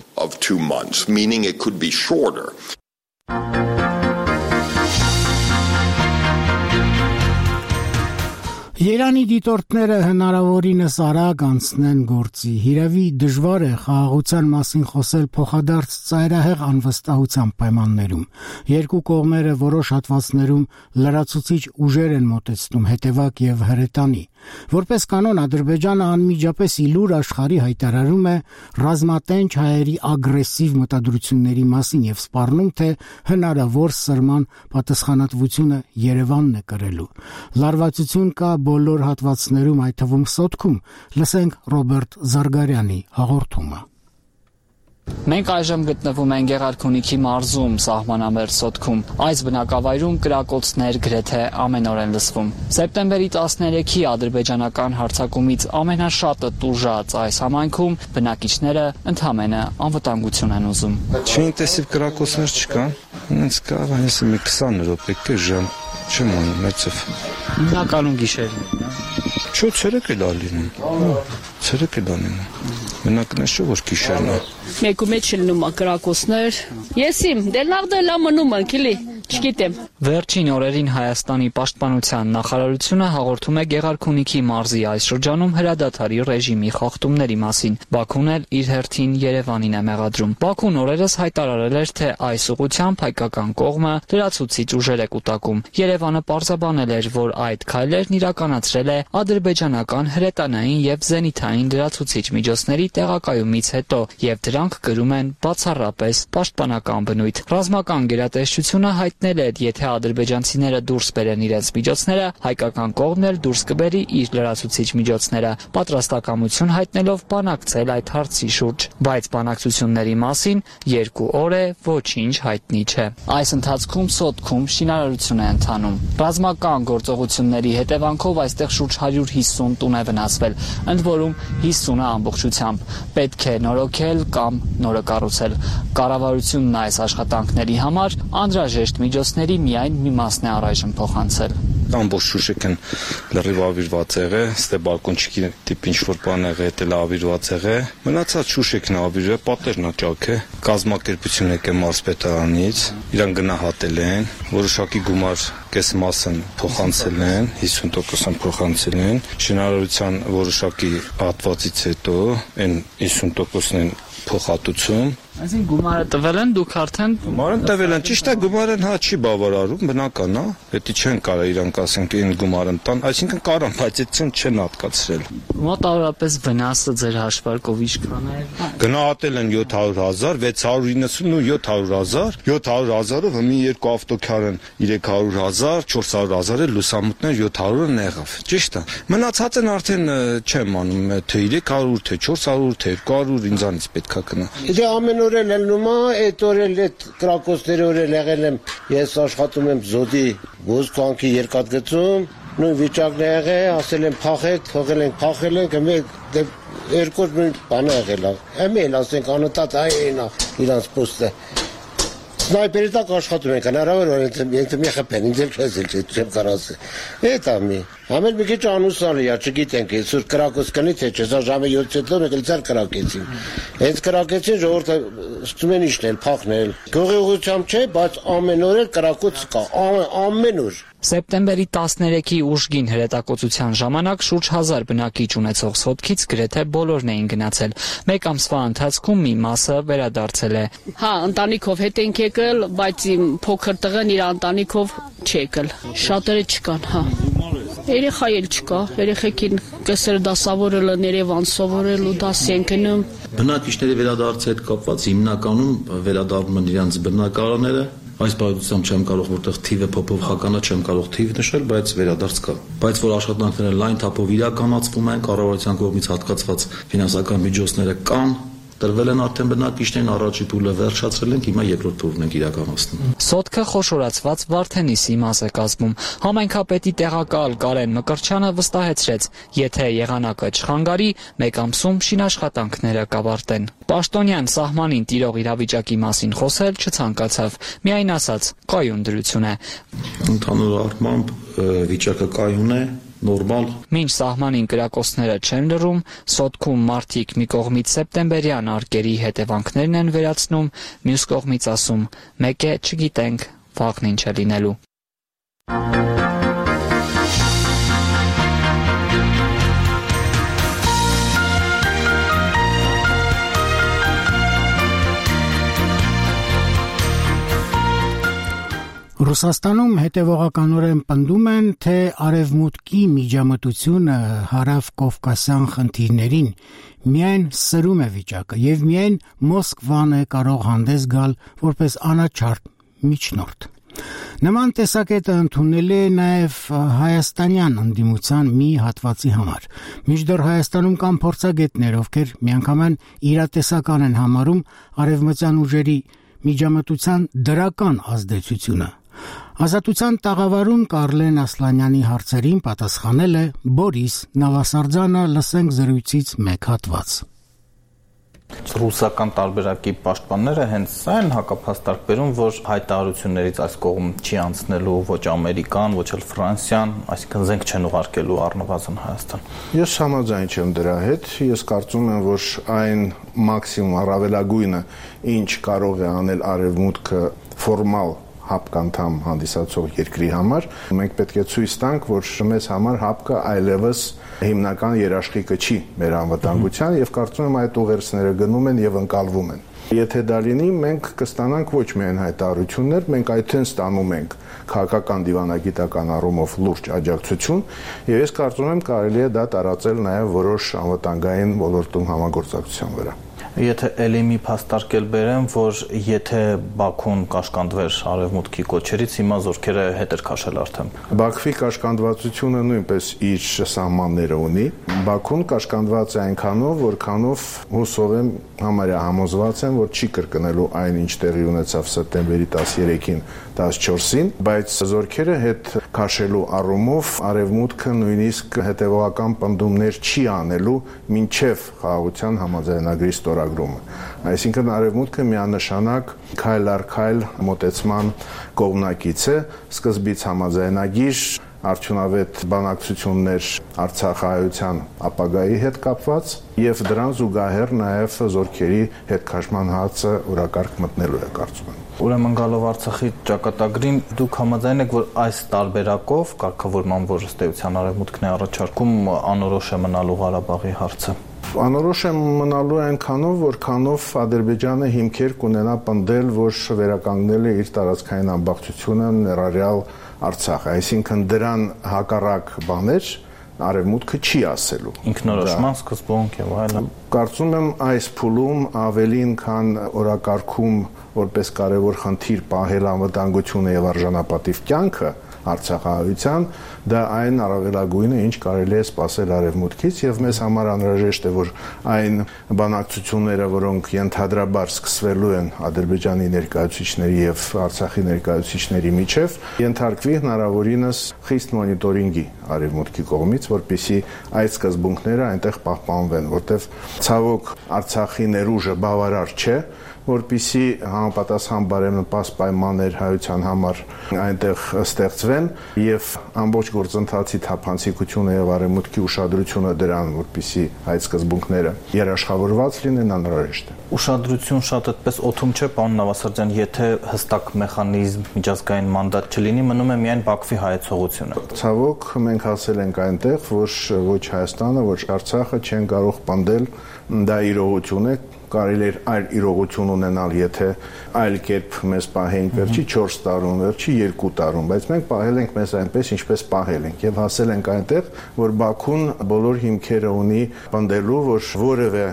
Երանի դիտորդները հնարավորինս արագ անցնեն գործի։ Հիրավի դժվար է խաղաղության մասին խոսել փոխադարձ ծայրահեղ անվստահության պայմաններում։ Երկու կողմերը որոշ հատվածներում լրացուցիչ ուժեր են մոտեցնում, հետևակ եւ հրետանի։ Որպես կանոն Ադրբեջանը անմիջապես իլուր աշխարհի հայտարարում է ռազմատենչ հայերի ագրեսիվ մտադրությունների մասին եւ սպառնում, թե հնարավոր սրման պատասխանատվությունը Երևանն է կրելու։ Լարվածություն կա բոլոր հատվածներում, այդ թվում Սոտքում։ Լսենք Ռոբերտ Զարգարյանի հաղորդումը։ Մենք այժմ գտնվում ենք Գեղարքունիքի մարզում, սահմանամերձ Սոտքում։ Այս բնակավայրում կրակոցներ գրեթե ամեն օր են լսվում։ Սեպտեմբերի 13-ի ադրբեջանական հարձակումից ամենաշատը տուժած այս համայնքում բնակիչները ընդհանրապես անվտանգություն են ուզում։ Չինտեսիվ կրակոցներ չկան, ինձ կարող է ասել մի 20 րոպե ժամ չեմ անում մեծով։ Հիմնականում գիշերն է։ Չէ, ցերեկ էլ ալինում։ Ցերեկ էլ ալինում։ Մենակ նշո որ գիշերն է։ Մեկու մեջ լինում կրակոցներ։ Եսիմ, դելնաղդելա մնում անկիլի, չգիտեմ։ Վերջին օրերին Հայաստանի պաշտպանության նախարարությունը հաղորդում է Գեղարքունիքի մարզի այս շրջանում հրադադարի ռեժիմի խախտումների մասին։ Բաքուն էլ իր հերթին Երևանին է մեղադրում։ Բաքուն օրերս հայտարարել էր, թե այս ուղղությամբ հայկական կողմը լրացուցիչ ուժեր է կուտակում։ Երևանը պարզաբանել էր, որ այդ քայլերն իրականացրել է ադրբեջանական հրետանային եւ զենիթային լրացուցիչ միջոցների տեղակայումից հետո եւ դրանք կրում են բացառապես պաշտպանական բնույթ։ Ռազմական գերատեսչությունը հայտնել էր, եթե ադրբեջանցիները դուրս բերեն իրենց միջոցները, հայկական կողմն էլ դուրս կբերի իր լրացուցիչ միջոցները, պատրաստակամություն հայտնելով բանակցել այդ հարցի շուրջ, բայց բանակցությունների մասին 2 օր է ոչինչ հայտնի չէ։ Այս ընթացքում Սոտքում շինարարություն է ընթանում։ Ռազմական գործողությունների հետևանքով այստեղ շուրջ 150 տուն է վնասվել, ընդ որում 50-ը ամբողջությամբ։ Պետք է նորոգել կամ նորը կառուցել։ Կառավարությունն այս աշխատանքների համար անհրաժեշտ միջոցների միայն մի մասն է առայժմ փոխանցել։ Ամբողջ Շուշիկն լրիվ ավիրված եղե, ստե բալկոնչիկի տիպ ինչ-որ բան եղե, էլ ավիրված եղե։ Մնացած Շուշիկն ավիրը, պատերն աճակ է, կազմակերպություն եկե մարզպետարանից, իրան գնահատել են, որոշակի գումար կես մասն փոխանցել են, 50% փոխանցել են, շինարարության որոշակի հատվածից հետո այն 50%-ն են փոխհատուցում։ Այսինքն գումարը տվել են դուք արդեն։ Գումարը տվել են, ճիշտ է, գումարը հա չի բավարարում, բնական է, պետք չեն կարա իրանք ասենք այն գումարը տան, այսինքն կարան, բայց այդքան չեն հատկացրել։ Մոտավորապես վնասը ձեր հաշվարկով ինչքան է։ Գնահատել են 700,000, 690 ու 700,000, 700,000-ով մի երկու ավտոքար են 300,000, 400,000 է լուսամուտներ 700-ը եղավ։ Ճիշտ է։ Մնացածն արդեն չեմ անում, թե 300, թե 400, թե 200 ինձանից պետքա գնա։ Եթե ամեն օր էլ լինում է, այդ օր էլ այդ կրակոցների օր էլ եղել եմ, ես աշխատում եմ Զոդի Ոսկվանքի երկաթգծում, նույն վիճակն է եղել, ասել եմ փախեք, թողել ենք, փախել ենք, երկու նույն բանը եղել է։ Էլ ասենք անընդհատ այն իրանց պոստը։ Սնայպերի տակ աշխատում ենք, հնարավոր է ինձ մի խփեն, ինձ էլ չեմ կարող ասել։ Էդ ամի։ Ամեն մի քիչ անուսալի է, չգիտենք, այսօր կրակոց կնի թե չէ, սա ժամը 7-ից հետո մեկ էլ ցար կրակեցին։ Հենց կրակեցին ժողովուրդը ստում են իշնել, փախնել։ Գողի ուղղությամբ չէ, բայց ամեն օր էլ կրակոց կա, ամեն օր։ Սեպտեմբերի 13-ի ուժգին հրետակոծության ժամանակ շուրջ 1000 բնակիչ ունեցող Սոտքից գրեթե բոլորն էին գնացել։ Մեկ ամսվա ընթացքում մի մասը վերադարձել է։ Հա, ընտանիքով հետ ենք եկել, բայց իմ փոքր տղեն իր ընտանիքով չի եկել։ Շատերը չկան, հա։ Երեխա էլ չկա, երեխեքին կեսերը դասավորել են Երևան սովորել ու դասի են գնում։ Բնակիչների վերադարձի հետ կապված հիմնականում վերադառնում են իրենց բնակարանները, Այս բարդությամբ չեմ կարող որտեղ թիվը փոփոխական է, չեմ կարող թիվ նշել, բայց վերադարձ կա։ Բայց որ աշխատանքները լայն թափով իրականացվում են, կառավարության կողմից հատկացված ֆինանսական միջոցները կան, տրվել են արդեն բնակիչներին, առաջի փուլը վերջացրել ենք, հիմա երկրորդ փուլն ենք իրականացնում։ Սոտքը խոշորացված Վարդենիսի մաս է կազմում։ Համայնքապետի տեղակալ Կարեն Մկրտչյանը վստահեցրեց, եթե եղանակը չխանգարի, մեկ ամսում շինաշխատանքները կավարտեն։ Պաշտոնյան սահմանին տիրող իրավիճակի մասին խոսել չցանկացավ, միայն ասաց՝ կայուն դրություն է։ Ընդհանուր առմամբ վիճակը կայուն է, նորմալ։ Մինչ սահմանին կրակոցները չեն լռում, Սոտքում մարդիկ մի կողմից սեպտեմբերյան արկերի հետևանքներն են վերացնում, մյուս կողմից ասում՝ մեկ է չգիտենք վաղն ինչ է լինելու։ Ռուսաստանում հետևողականորեն պնդում են, թե արևմուտքի միջամտությունը հարավ-կովկասյան խնդիրներին միայն սրում է վիճակը եւ միայն Մոսկվան է կարող հանդես գալ որպես անաչառ միջնորդ։ Նման տեսակետը ընդունել է նաև հայաստանյան ընդդիմության մի հատվածի համար։ Մինչդեռ Հայաստանում կան փորձագետներ, ովքեր միանգամայն իրատեսական են համարում արևմտյան ուժերի միջամտության դրական ազդեցությունը։ Ազատության տաղավարում Կարլեն Ասլանյանի հարցերին պատասխանել է Բորիս Նավասարդյանը, լսենք զրույցից մեկ հատված։ Ռուսական տարբերակի պաշտպանները հենց սա են հակափաստարկ բերում, որ հայտարարություններից այս կողմ չի անցնելու ոչ ամերիկան, ոչ էլ Ֆրանսիան, այսինքն զենք չեն ուղարկելու առնվազն Հայաստան։ Ես համաձայն չեմ դրա հետ, ես կարծում եմ, որ այն մաքսիմում առավելագույնը, ինչ կարող է անել արևմուտքը ֆորմալ հապկանդամ հանդիսացող երկրի համար, մենք պետք է ցույց տանք, որ մեզ համար հապկը այլևս հիմնական երաշխիքը չի մեր անվտանգության եւ կարծում եմ այդ ուղերձները գնում են եւ ընկալվում են։ Եթե դա լինի, մենք կստանանք ոչ միայն հայտարարություններ, մենք այդտեն ստանում ենք քաղաքական դիվանագիտական առումով լուրջ աջակցություն եւ ես կարծում եմ կարելի է դա տարածել նաեւ որոշ անվտանգային ոլորտում համագործակցության վրա։ Եթե ելի մի փաստարկել բերեմ, որ եթե Բաքուն կաշկանդվեր արևմուտքի կոչերից, հիմա զորքերը հետ էր քաշել արդեն։ Բաքվի կաշկանդվածությունը նույնպես իր սահմանները ունի։ Բաքուն կաշկանդված է այնքանով, որքանով հուսով եմ համարյա համոզված եմ, որ չի կրկնելու այն, ինչ տեղի ունեցավ սեպտեմբերի 13-ին, 14-ին, բայց զորքերը հետ քաշելու առումով արևմուտքը նույնիսկ հետևողական պնդումներ չի անելու մինչև խաղաղության համաձայնագրի ստորագրումը։ Այսինքն արևմուտքը միանշանակ քայլ առ քայլ մոտեցման կողմնակից է, սկզբից համաձայնագիր, արդյունավետ բանակցություններ Արցախահայության ապագայի հետ կապված եւ դրան զուգահեռ նաեւ զորքերի հետքաշման հացը օրակարգ մտնելու է կարծում եմ։ Ուրեմն գալով Արցախի ճակատագրին դուք համաձայն եք, որ այս տարբերակով կարգավորման, որ ըստ էության արևմուտքն է առաջարկում, անորոշ է մնալու Ղարաբաղի հարցը։ Անորոշ է մնալու այնքանով, որքանով Ադրբեջանը հիմքեր կունենա պնդել, որ վերականգնել է իր տարածքային ամբողջությունը ներառյալ Արցախը, այսինքն դրան հակառակ բաներ արևմուտքը չի ասելու։ Ինքնորոշման սկզբունք եւ այլն։ Կարծում եմ այս փուլում ավելին, քան օրակարգում որպես կարևոր խնդիր պահել անվտանգությունը եւ արժանապատիվ կյանքը Արցախահայության, դա այն առավելագույնը, ինչ կարելի է սպասել արևմուտքից եւ մեզ համար անհրաժեշտ է, որ այն բանակցությունները, որոնք ենթադրաբար սկսվելու են Ադրբեջանի ներկայացուցիչների եւ Արցախի ներկայացուցիչների միջև, ենթարկվի հնարավորինս խիստ մոնիտորինգի արևմուտքի կողմից, որպեսզի այդ սկզբունքները այնտեղ պահպանվեն, որտեղ ցավոք Արցախի ներուժը բավարար չէ, որպեսզի համապատասխան բարենպաստ պայմաններ հայության համար այնտեղ ստեղծվեն եւ ամբողջ գործընթացի թափանցիկությունը եւ արևմուտքի ուշադրությունը դրան, որպեսզի այդ սկզբունքները երաշխավորված լինեն, անհրաժեշտ է։ Ուշադրություն շատ այդպես օթում չէ, պարոն Նավասարդյան, եթե հստակ մեխանիզմ, միջազգային մանդատ չլինի, մնում է միայն Բաքվի հայեցողությունը։ Ցավոք մենք հասել ենք այնտեղ, որ ոչ Հայաստանը, ոչ Արցախը չեն կարող պնդել, դա իրողություն է, կարելի է այլ իրողություն ունենալ, եթե այլ կերպ մեզ պահեին վերջի 4 տարում, վերջի 2 տարում, բայց մենք պահել ենք մեզ այնպես, ինչպես պահել ենք եւ հասել ենք այնտեղ, որ Բաքուն բոլոր հիմքերը ունի պնդելու, որ որևէ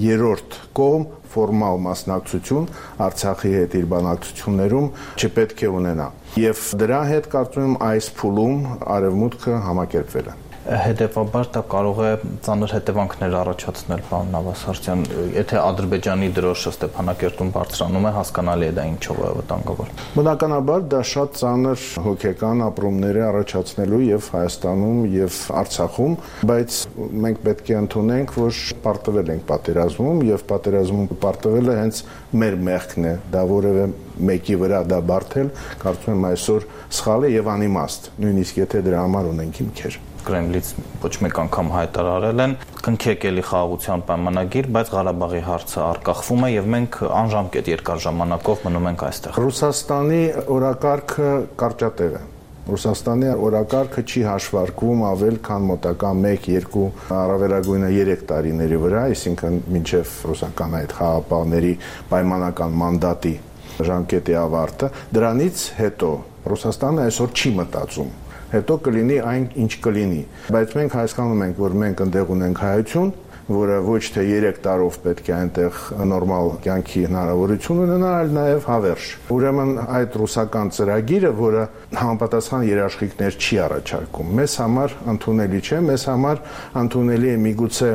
երրորդ կողմ ֆորմալ մասնակցություն Արցախի հետ իր բանակցություններում չպետք է ունենա։ Եվ դրա հետ կարծում եմ այս փուլում արևմուտքը համակերպվել է։ Հետևաբար դա կարող է ծանր հետևանքներ առաջացնել, պարոն Նավասարդյան, եթե Ադրբեջանի դրոշը Ստեփանակերտում բարձրանում է, հասկանալի է դա ինչով է վտանգավոր։ Բնականաբար դա շատ ծանր հոգեկան ապրումներ է առաջացնելու եւ Հայաստանում եւ Արցախում, բայց մենք պետք է ընդունենք, որ պարտվել ենք պատերազմում եւ պատերազմում պարտվելը հենց մեր մեղքն է, դա որևէ մեկի վրա դա բարթել, կարծում եմ այսօր սխալ է եւ անիմաստ, նույնիսկ եթե դրա համար ունենք հիմքեր։ Կրեմլից ոչ մեկ անգամ հայտարարել են կնքեք էլի խաղաղության պայմանագիր, բայց Ղարաբաղի հարցը առկախվում է եւ մենք անժամկետ երկար ժամանակով մնում ենք այստեղ։ Ռուսաստանի օրակարգը կարճատև է։ Ռուսաստանի օրակարգը չի հաշվարկվում ավել քան մոտակա 1-2 առավելագույնը 3 տարիների վրա, այսինքն մինչև ռուսական այդ խաղապահների պայմանական մանդատի ժամկետի ավարտը։ Դրանից հետո Ռուսաստանը այսօր չի մտածում հետո կլինի այն ինչ կլինի, բայց մենք հասկանում ենք, որ մենք ընդեղ ունենք հայություն, որը ոչ թե 3 տարով պետք է այնտեղ նորմալ կյանքի հնարավորություն ունենա, այլ նաև հավերժ։ Ուրեմն այդ ռուսական ծրագիրը, որը համապատասխան երաշխիքներ չի առաջարկում, մեզ համար ընդունելի չէ, մեզ համար ընդունելի է միգուցե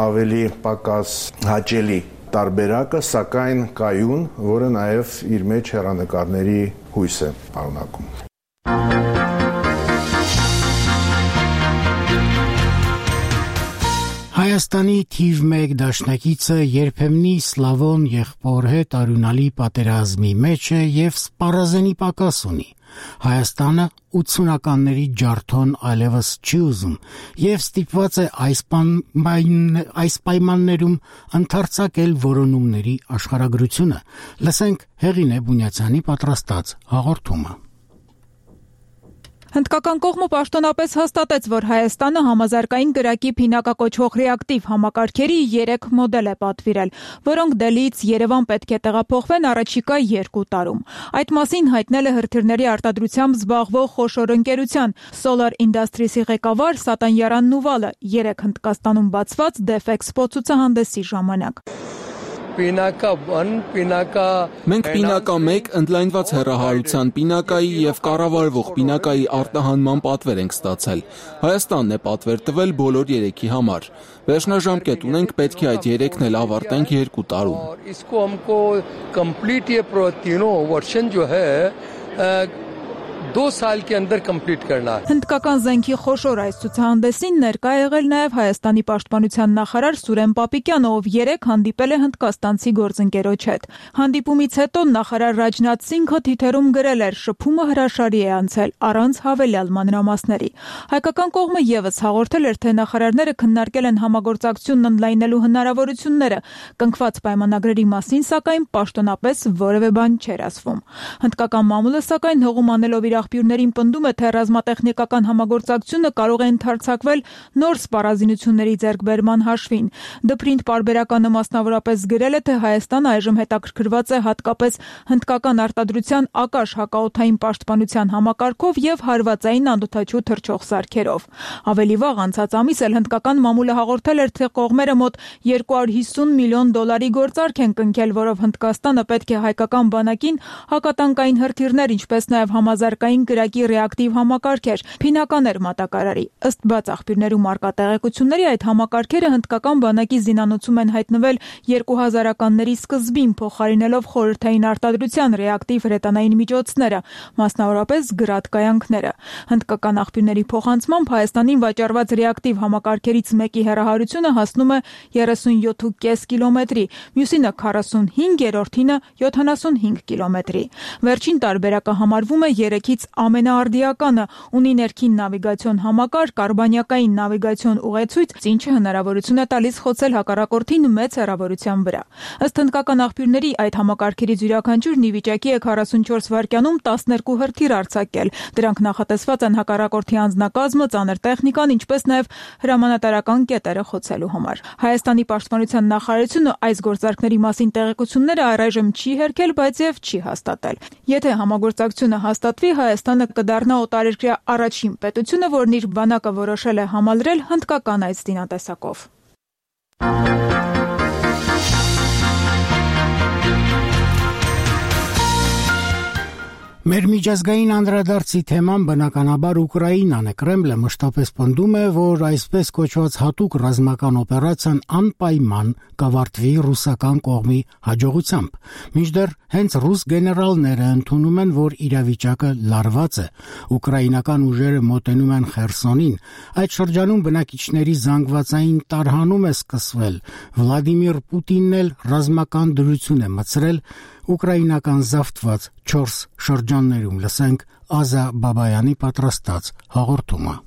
ավելի պակաս հաճելի տարբերակը, սակայն կայուն, որը նաև իր մեջ հեռանկարների հույս է պարունակում։ Հայաստանի թիվ 1 դաշնակիցը երբեմնի Սլավոն եղբոր հետ արյունալի պատերազմի մեջ է եւ սպառազենի պակաս ունի։ Հայաստանը 80-ականների ջարդոն այլևս չի ուզում եւ ստիպված է այս պայմաններում ընդարձակել որոնումների աշխարհագրությունը։ Լսենք Հեղինե Բունյացյանի պատրաստած հաղորդումը։ Հնդկական կողմը պաշտոնապես հաստատեց, որ Հայաստանը համազարգային կրակի փինակակոչվող ռեակտիվ համակարգերի 3 մոդել է պատվիրել, որոնք Դելիից Երևան պետք է տեղափոխվեն առաջիկա 2 տարում։ Այդ մասին հայտնել է հրթիռների արտադրությամբ զբաղվող խոշոր ընկերության Solar Industries-ի ղեկավար Սատանյարան Նուվալը 3 Հնդկաստանում բացված DefExpo ցուցահանդեսի ժամանակ։ Մենք պինակա 1 ընդլայնված հեռահարության պինակայի եւ կառավարվող պինակայի արտահանման պատվեր ենք ստացել։ Հայաստանն է պատվեր տվել բոլոր 3-ի համար։ Վերջնաժամկետ ունենք, պետք է այդ 3-ն էլ ավարտենք 2 տարում։ 2 साल के अंदर कंप्लीट करना है। Հնդկական զենքի խոշոր այս ցուցահանդեսին ներկա եղել նաև Հայաստանի պաշտպանության նախարար Սուրեն Պապիկյանը, ով 3 հանդիպել է հնդկաստանցի գործընկերոջ հետ։ Հանդիպումից հետո նախարար Ռաջնաթ Սինգը թիթերում գրել էր. շփումը հրաշալի է անցել առանց հավելյալ մանրամասների։ Հայկական կողմը եւս հաղորդել էր, թե նախարարները քննարկել են համագործակցությունն ընդլայնելու հնարավորությունները։ Կնքված պայմանագրերի մասին, սակայն պաշտոնապես որևէ բան չէր ասվում։ Հնդկական մամուլը սակայն հողում անելով իր աղբյուրներին պնդում է, թե ռազմատեխնիկական համագործակցությունը կարող է ընդարձակվել նոր սպառազինությունների ձեռքբերման հաշվին։ Դպրինտ պարբերականը մասնավորապես գրել է, թե Հայաստանը այժմ հետաքրքրված է հատկապես հնդկական արտադրության ակաշ հակաօդային պաշտպանության համակարգով եւ հարվածային անօդաչու թռչող սարքերով։ Ավելի վաղ անցած ամիս էլ հնդկական մամուլը հաղորդել էր, թե կողմերը մոտ $250 միլիոն գործարք են կնքել, որով Հնդկաստանը պետք է հայկական բանակին հակատանկային հրթիռներ, ինչպես նաեւ համազարգային կրակի ռեակտիվ համակարգեր, փինականեր մատակարարի։ Ըստ բաց աղբյուրներում արկա տեղեկությունների, այդ համակարգերը հնդկական բանակի զինանոցում են հայտնվել 2000-ականների սկզբին, փոխարինելով խորհրդային արտադրության ռեակտիվ հրետանային միջոցները, մասնավորապես գրադ կայանքները։ Հնդկական աղբյուրների փոխանցմամբ Հայաստանին վաճառված ռեակտիվ համակարգերից մեկի հեռահարությունը հասնում է 37.5 կիլոմետրի, մյուսինը 45-րդինը 75 կիլոմետրի։ Վերջին տարբերակը համարվում է 3-ից ամենաարդիականը, ունի ներքին նավիգացիոն համակարգ, կարբանյակային նավիգացիոն ուղեցույց, ինչը հնարավորություն է տալիս խոցել հակառակորդին մեծ հեռավորության վրա։ Ըստ հնդկական աղբյուրների, այդ համակարգերից յուրաքանչյուրն ի վիճակի է 44 վայրկյանում 12 հրթիռ արձակել։ Դրանք նախատեսված են հակառակորդի անձնակազմը, ծանր տեխնիկան, ինչպես նաև հրամանատարական կետերը խոցելու համար։ Հայաստանի պաշտպանության նախարարությունը այս գործարքների մասին տեղեկությունները առայժմ չի հերքել, բայց եւ չի հաստատել։ Եթե համագործակցությունը հաստատվի, Հայաստանը կդառնա օտարերկրյա առաջին պետությունը, որն իր բանակը որոշել է համալրել հնդկական այս զինատեսակով։ Մեր միջազգային անդրադարձի թեման բնականաբար Ուկրաինան է։ Կրեմլը մշտապես պնդում է, որ այսպես կոչված հատուկ ռազմական օպերացիան անպայման կավարտվի ռուսական կողմի հաջողությամբ։ Մինչդեռ հենց ռուս գեներալները ընդունում են, որ իրավիճակը լարված է։ Ուկրաինական ուժերը մոտենում են Խերսոնին։ Այդ շրջանում բնակիչների զանգվածային տարհանում է սկսվել։ Վլադիմիր Պուտինն էլ ռազմական դրություն է մտցրել ուկրաինական զավթված 4 շրջաններում։ Լսենք Ազա Բաբայանի պատրաստած հաղորդումը։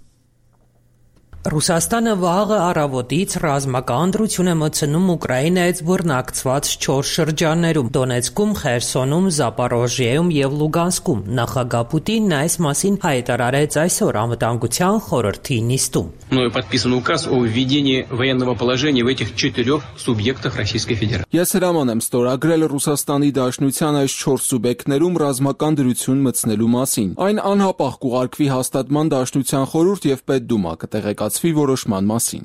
Ռուսաստանը վաղը առավոտից ռազմական դրություն է մտցնում Ուկրաինայից բռնակցված 4 շրջաններում՝ Դոնեցկում, Խերսոնում, Զապորոժիեում եւ Լուգանսկում։ Նախագահ Պուտինն այս մասին հայտարարեց այսօր Անվտանգության խորհրդի նիստում։ Подписан указ о введении военного положения в этих 4 субъектах Российской Федерации. Ես հրաման եմ ստորագրել Ռուսաստանի Դաշնության այս 4 սուբյեկտներում ռազմական դրություն մտցնելու մասին։ Այն անհապաղ կուղարկվի հաստատման Դաշնության խորհուրդ եւ Պետդումա կտեղեկացվի որոշման մասին։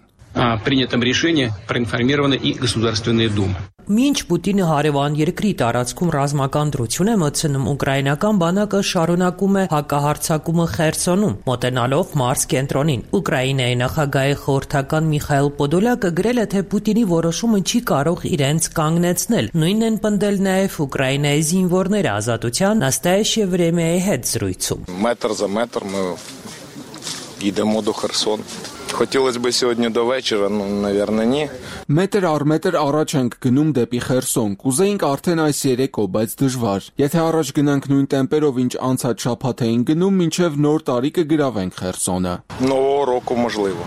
Принятом решении проинформирована и Государственная Дума. Մինչ Պուտինը հարևան երկրի տարածքում ռազմական դրություն է մտցնում, ուկրաինական բանակը շարունակում է հակահարձակումը Խերսոնում, մոտենալով Մարս կենտրոնին։ Ուկրաինայի նախագահի խորհրդական Միխայել Պոդոլյակը գրել է, թե Պուտինի որոշումը չի կարող իրենց կանգնեցնել։ Նույնն են պնդել նաև Ուկրաինայի զինվորները Ազատության «Настоящее время»-ի հետ զրույցում։ Метр за метр мы идем до Херсона. Хотелось бы сегодня до вечера, но, наверное, не. Մետր առ մետր առաջ ենք գնում դեպի Խերսոն։ Կուզեինք արդեն այս երեկո, բայց դժվար։ Եթե առաջ գնանք նույն տեմպերով, ինչ անցած շաբաթ էին գնում, մինչև նոր տարի կգրավենք Խերսոնը։ Нового року можливо.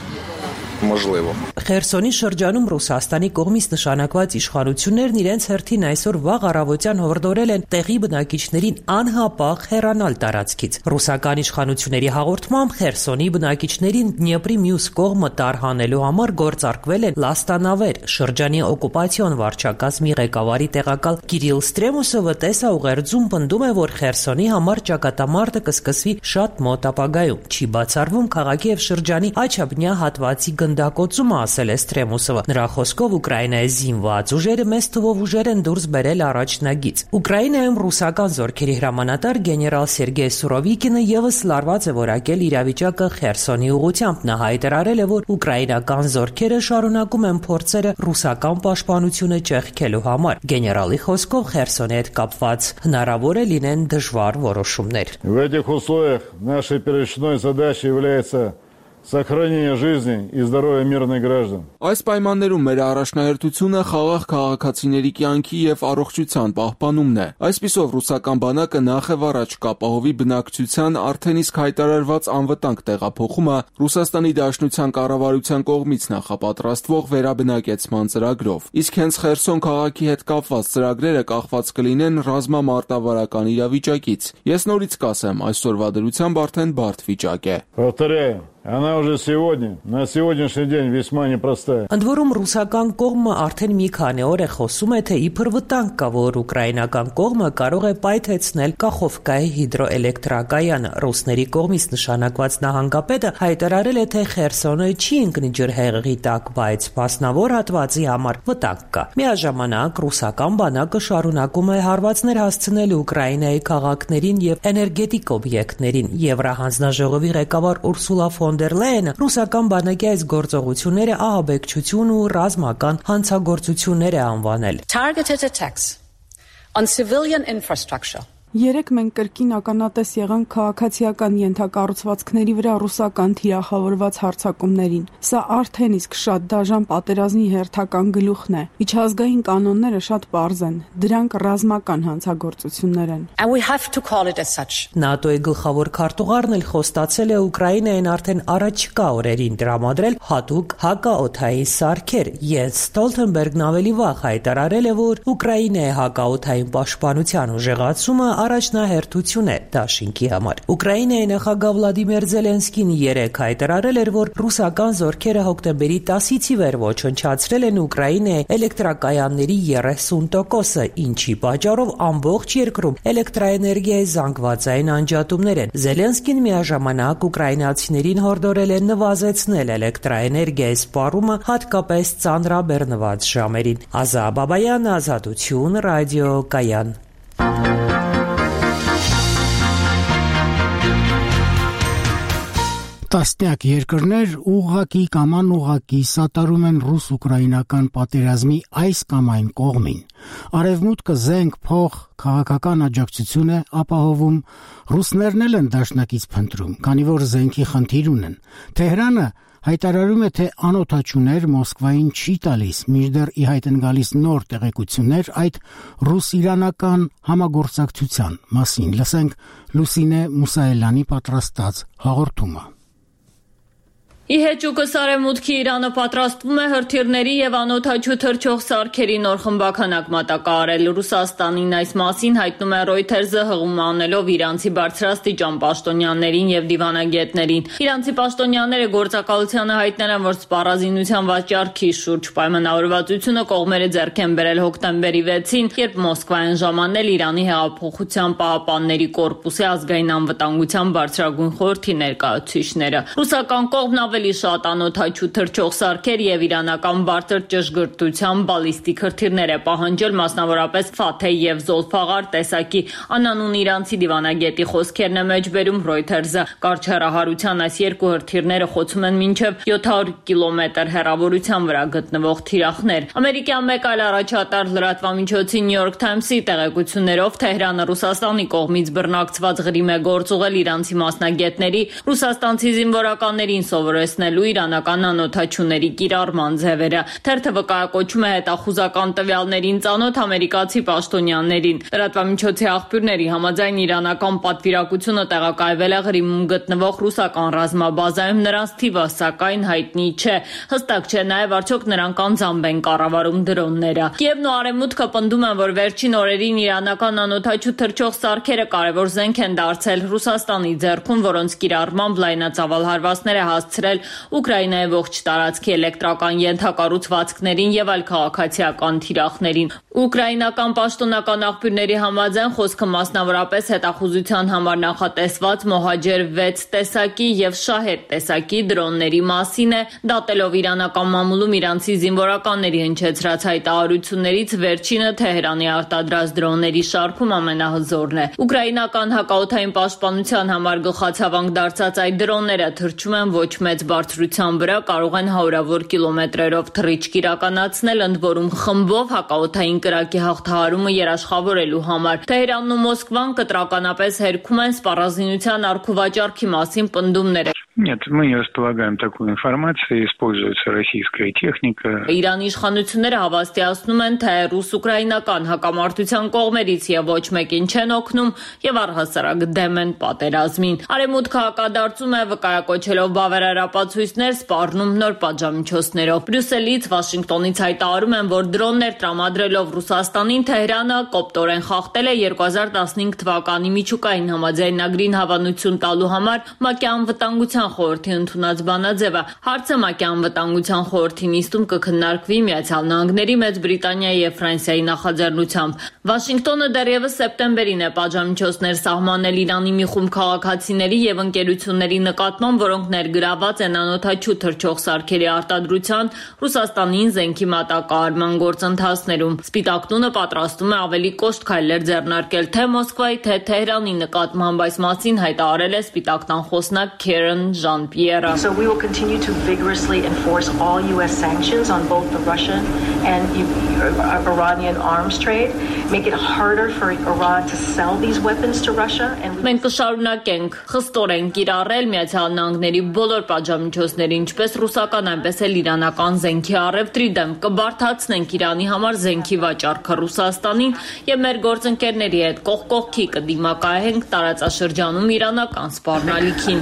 Խերսոնի շրջանում Ռուսաստանի կողմից նշանակված իշխանություններն իրենց հերթին այսօր վաղ առավոտյան հորդորել են տեղի բնակիչներին անհապաղ հեռանալ տարածքից։ Ռուսական իշխանությունների հաղորդմամբ Խերսոնի բնակիչներին Դնեպրի մյուս կողմը տարհանելու համար գործարկվել են լաստանավեր։ Շրջանի օկուպացիոն վարչակազմի ղեկավարի տեղակալ Կիրիլ Ստրեմուսովը տեսաուղերձում պնդում է, որ Խերսոնի համար ճակատամարտը կսկսվի շատ մոտ ապագայում։ Չի բացառվում քաղաքի եւ շրջանի աչափնյա հատվածի գնդակոծումը, ասել է Ստրեմուսովը։ Նրա խոսքով Ուկրաինայի զինված ուժերը մեծ թվով ուժեր են դուրս բերել առաջնագից։ Ուկրաինայում ռուսական զորքերի հրամանատար գեներալ Սերգեյ Սուրովիկինը եւս լարված է որակել իրավիճակը Խերսոնի ուղղությամբ։ Նա հայտարարել է, որ ուկրաինական զորքերը շարունակում են փորձերը ռուսական պաշտպանությունը ճեղքելու համար։ Գեներալի խոսքով Խերսոնի հետ կապված հնարավոր է լինեն դժվար որոշումներ։ В этих условиях нашей первичной задачей является сохранение жизни и здоровья мирных граждан. Այս պայմաններում մեր առաջնահերթությունը խաղաղ քաղաքացիների կյանքի եւ առողջության պահպանումն է։ Այսպիսով ռուսական բանակը նախ եւ առաջ կապահովի բնակչության արդեն իսկ հայտարարված անվտանգ տեղափոխումը Ռուսաստանի Դաշնության կառավարության կողմից նախապատրաստվող վերաբնակեցման ծրագրով։ Իսկ հենց Խերսոն քաղաքի հետ կապված ծրագրերը կախված կլինեն ռազմամարտավարական իրավիճակից։ Ես նորից կասեմ, այսօրվա դրությամբ արդեն բարդ վիճակ է։ Повторяю, она уже сегодня, на сегодняшний день весьма непростая. Ընդ որում ռուսական կողմը արդեն մի քանի օր է խոսում է, թե իբր վտանգ կա, որ ուկրաինական կողմը կարող է պայթեցնել Կախովկայի հիդրոէլեկտրակայանը։ Ռուսների կողմից նշանակված նահանգապետը հայտարարել է, թե Խերսոնը չի ընկնի ջրհեղեղի տակ, բայց մասնավոր հատվածի համար վտանգ կա։ Միաժամանակ ռուսական բանակը շարունակում է հարվածներ հասցնել Ուկրաինայի քաղաքներին եւ էներգետիկ օբյեկտներին։ Եվրահանձնաժողովի ղեկավար Ուրսուլա ֆոն դեր Լայենը ռուսական բանակի այս գործողությունները ահաբեկչություն ու ռազմական հանցագործություններ է անվանել։ Targeted attacks on civilian infrastructure. Երեք մենք կրկին ականատես եղանք քաղաքացիական ենթակառուցվածքների վրա ռուսական թիրախավորված հարձակումներին։ Սա արդեն իսկ շատ դաժան պատերազմի հերթական գլուխն է։ Միջազգային կանոնները շատ պարզ են։ Դրանք ռազմական հանցագործություններ են։ And we have to call it as such. ՆԱՏՕ-ի գլխավոր քարտուղարն էլ խոստացել է Ուկրաինային արդեն առաջիկա օրերին տրամադրել հատուկ հակաօդային սարքեր։ Յենս Ստոլթենբերգն ավելի վաղ հայտարարել է, որ Ուկրաինայի հակաօդային պաշտպանության ուժեղացումը առաջնահերթություն է դաշինքի համար։ Ուկրաինայի նախագահ Վլադիմիր Զելենսկին երեկ հայտարարել էր, որ ռուսական զորքերը հոկտեմբերի 10-ից ի վեր ոչնչացրել են Ուկրաինայի էլեկտրակայանների 30%-ը, ինչի պատճառով ամբողջ երկրում էլեկտրաէներգիայի զանգվածային անջատումներ են։ Զելենսկին միաժամանակ ուկրաինացիներին հորդորել է նվազեցնել էլեկտրաէներգիայի սպառումը, հատկապես ծանրաբեռնված ժամերին։ Ազա Բաբայան, Ազատություն, ռադիո Կայան։ Տասնյակ երկրներ ուղղակի կամ անուղղակի սատարում են ռուս-ուկրաինական պատերազմի այս կամ այն կողմին։ Արևմուտքը զենք, փող, քաղաքական աջակցություն է ապահովում, ռուսներն էլ են դաշնակից փնտրում, քանի որ զենքի խնդիր ունեն։ Թեհրանը հայտարարում է, թե անօթաչուներ Մոսկվային չի տալիս, մինչդեռ ի հայտ են գալիս նոր տեղեկություններ այդ ռուս-իրանական համագործակցության մասին։ Լսենք Լուսինե Մուսայելյանի պատրաստած հաղորդումը։ Ի հեճուկս Արևմուտքի Իրանը պատրաստվում է հրթիռների եւ անօթաչու թռչող սարքերի նոր խմբականակ մատակարարել։ Ռուսաստանին այս մասին հայտնում է Reuters-ը հղում անելով իրանցի բարձրաստիճան պաշտոնյաներին եւ դիվանագետներին։ Իրանցի պաշտոնյաները գործակալությանը հայտնել են, որ սպառազինության վաճառքի շուրջ պայմանավորվածությունը կողմերը ձեռք են բերել հոկտեմբերի 6-ին, երբ Մոսկվայում ժամանել Իրանի հեղափոխության պահապանների կորպուսի ազգային անվտանգության բարձրագույն խորհրդի ներկայացուցիչները։ Ռուսական կողմն ավելի շատ անօթաչու թռչող սարքեր եւ իրանական բարձր ճշգրտության բալիստիկ հրթիռներ է պահանջել, մասնավորապես Ֆաթեհ եւ Զոլֆաղար տեսակի անանուն իրանցի դիվանագետի խոսքերն է մեջբերում Reuters-ը։ Կարճ հեռահարության այս երկու հրթիռները խոցում են մինչև 700 կիլոմետր հեռավորության վրա գտնվող թիրախներ։ Ամերիկյան մեկ այլ առաջատար լրատվամիջոցի New York Times-ի տեղեկություններով Թեհրանը Ռուսաստանի կողմից բռնակցված ղրիմ է գործ ուղղել իրանցի մասնագետների ռուսաստանցի զինվորականներին սովորեցնելու իրանական անօթաչուների կիրառման ձևերը։ Թերթը վկայակոչում է հետախուզական տվյալներին ծանոթ ամերիկացի պաշտոնյաներին։ Լրատվամիջոցի աղբյուրների համաձայն իրանական պատվիրակությունը տեղակայվել է Ղրիմում գտնվող ռուսական ռազմաբազայում, նրանց թիվը սակայն հայտնի չէ։ Հստակ չէ նաև արդյոք նրանք անձամբ են կառավարում դրոնները։ Կիևն ու Արևմուտքը պնդում են, որ վերջին օրերին իրանական անօթաչու թռչող սարքերը կարևոր զենք են դարձել Ռուսաստանի ձեռքում, որոնց կիրառմամբ լայնածավալ հարվածներ է հասցրել Ուկրաինայի ողջ տարածքի էլեկտրական ենթակառուցվածքներին եւ այլ քաղաքացիական թիրախներին։ Ուկրաինական պաշտոնական աղբյուրների համաձայն խոսքը մասնավորապես հետախուզության համար նախատեսված Մոհաջեր 6 տեսակի եւ Շահեդ տեսակի դրոնների մասին է, դատելով իրանական մամուլում իրանցի զինվորականների հնչեցրած հայտարարություններից վերջինը Թեհրանի արտադրած դրոնների շարքում ամենահզորն է։ Ուկրաինական հակաօդային պաշտպանության համար գլխացավանք դարձած այդ դրոնները թռչում են ոչ մեծ բարձրության վրա, կարող են հարյուրավոր կիլոմետրերով թռիչք իրականացնել, ընդ որում խմբով հակաօդային կրակի հաղթահարումը երաշխավորելու համար։ Թեհրանն ու Մոսկվան կտրականապես հերքում են սպառազինության առքուվաճառքի մասին պնդումները։ Нет, мы не располагаем такой информацией, используется российская техника. Իրանի իշխանությունները հավաստիացնում են, թե ռուս-ուկրաինական հակամարտության կողմերից եւ ոչ մեկին չեն օգնում եւ առհասարակ դեմ են պատերազմին։ Արևմուտքը հակադարձում է վկայակոչելով բավարար ապացույցներ, սպառնում նոր պատժամիջոցներով։ Բրյուսելից, Վաշինգտոնից հայտարարում են, որ դրոններ տրամադրելով Ռուսաստանին Թեհրանը կոպտորեն խախտել է 2015 թվականի միջուկային համաձայնագրին հավանություն տալու համար ՄԱԿ-ի անվտանգության խորհրդի ընդունած բանաձևը։ Հարցը ՄԱԿ-ի անվտանգության խորհրդի նիստում կքննարկվի Միացյալ Նահանգների, Մեծ Բրիտանիայի եւ Ֆրանսիայի նախաձեռնությամբ։ Վաշինգտոնը դեռևս սեպտեմբերին է պատժամիջոցներ սահմանել Իրանի մի խումբ քաղաքացիների եւ ընկերությունների նկատմամբ, որոնք ներգրաված են անօթաչու թռչող սարքերի արտադրության, Ռուսաստանին զենքի մատակարարման գործընթացներում։ Սպիտակ տունը պատրաստում է ավելի կոշտ քայլեր ձեռնարկել թե Մոսկվայի, թե Թեհրանի նկատմամբ, այս մասին հայտարարել է Սպիտակ տան խոսնակ Քերեն Ժան-Պիերը։ So we will continue to vigorously enforce all US sanctions on both the Russian and Iranian arms trade, make it harder for Iran to sell these weapons to Russia and Մենք կշարունակենք խստորեն կիրառել Միացյալ Նահանգների բոլոր պատժամիջոցները, ինչպես ռուսական, այնպես էլ իրանական զենքի առևտրի դեմ, կբարդացնենք Իրանի համար զենքի վաճառքը Ռուսաստանին եւ մեր գործընկերների հետ կողք կողքի կդիմակայենք տարածաշրջանում իրանական սպառնալիքին։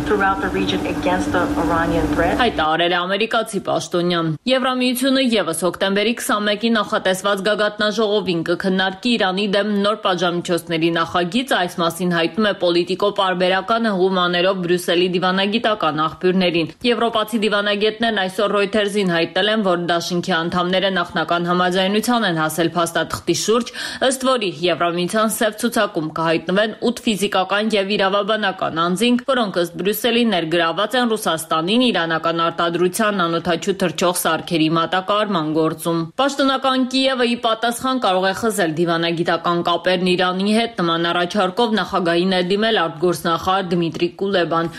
Հայտարարել է ամերիկացի պաշտոնյան։ Եվրամիությունը եւս հոկտեմբերի 21-ի նախատեսված գագաթնաժողովին կքննարկի Իրանի դեմ նոր պատժամիջոցների նախագիծը, այս մասին հայտնում է Պոլիտիկո պարբերականը հումաներով Բրյուսելի դիվանագիտական աղբյուրներին։ Եվրոպացի դիվանագետներն այսօր Reuters-ին հայտնել են, որ դաշինքի անդամները նախնական համաձայնության են հասել փաստաթղթի շուրջ, ըստ որի Եվրամիության սև ցուցակում կհայտնվեն 8 ֆիզիկական եւ իրավաբանական անձինք, որոնք ըստ Բրյուսելի ներգրաված են Ռուսաստանին իրանական արտադրության անօթաչու թռչող սարքերի մատակարարման գործում։ Պաշտոնական Կիևը ի պատասխան կարող է խզել դիվանագիտական կապերն Իրանի հետ, նման առաջարկով նախագահին է դիմել արտգործնախարար Դմիտրի Կուլեբան։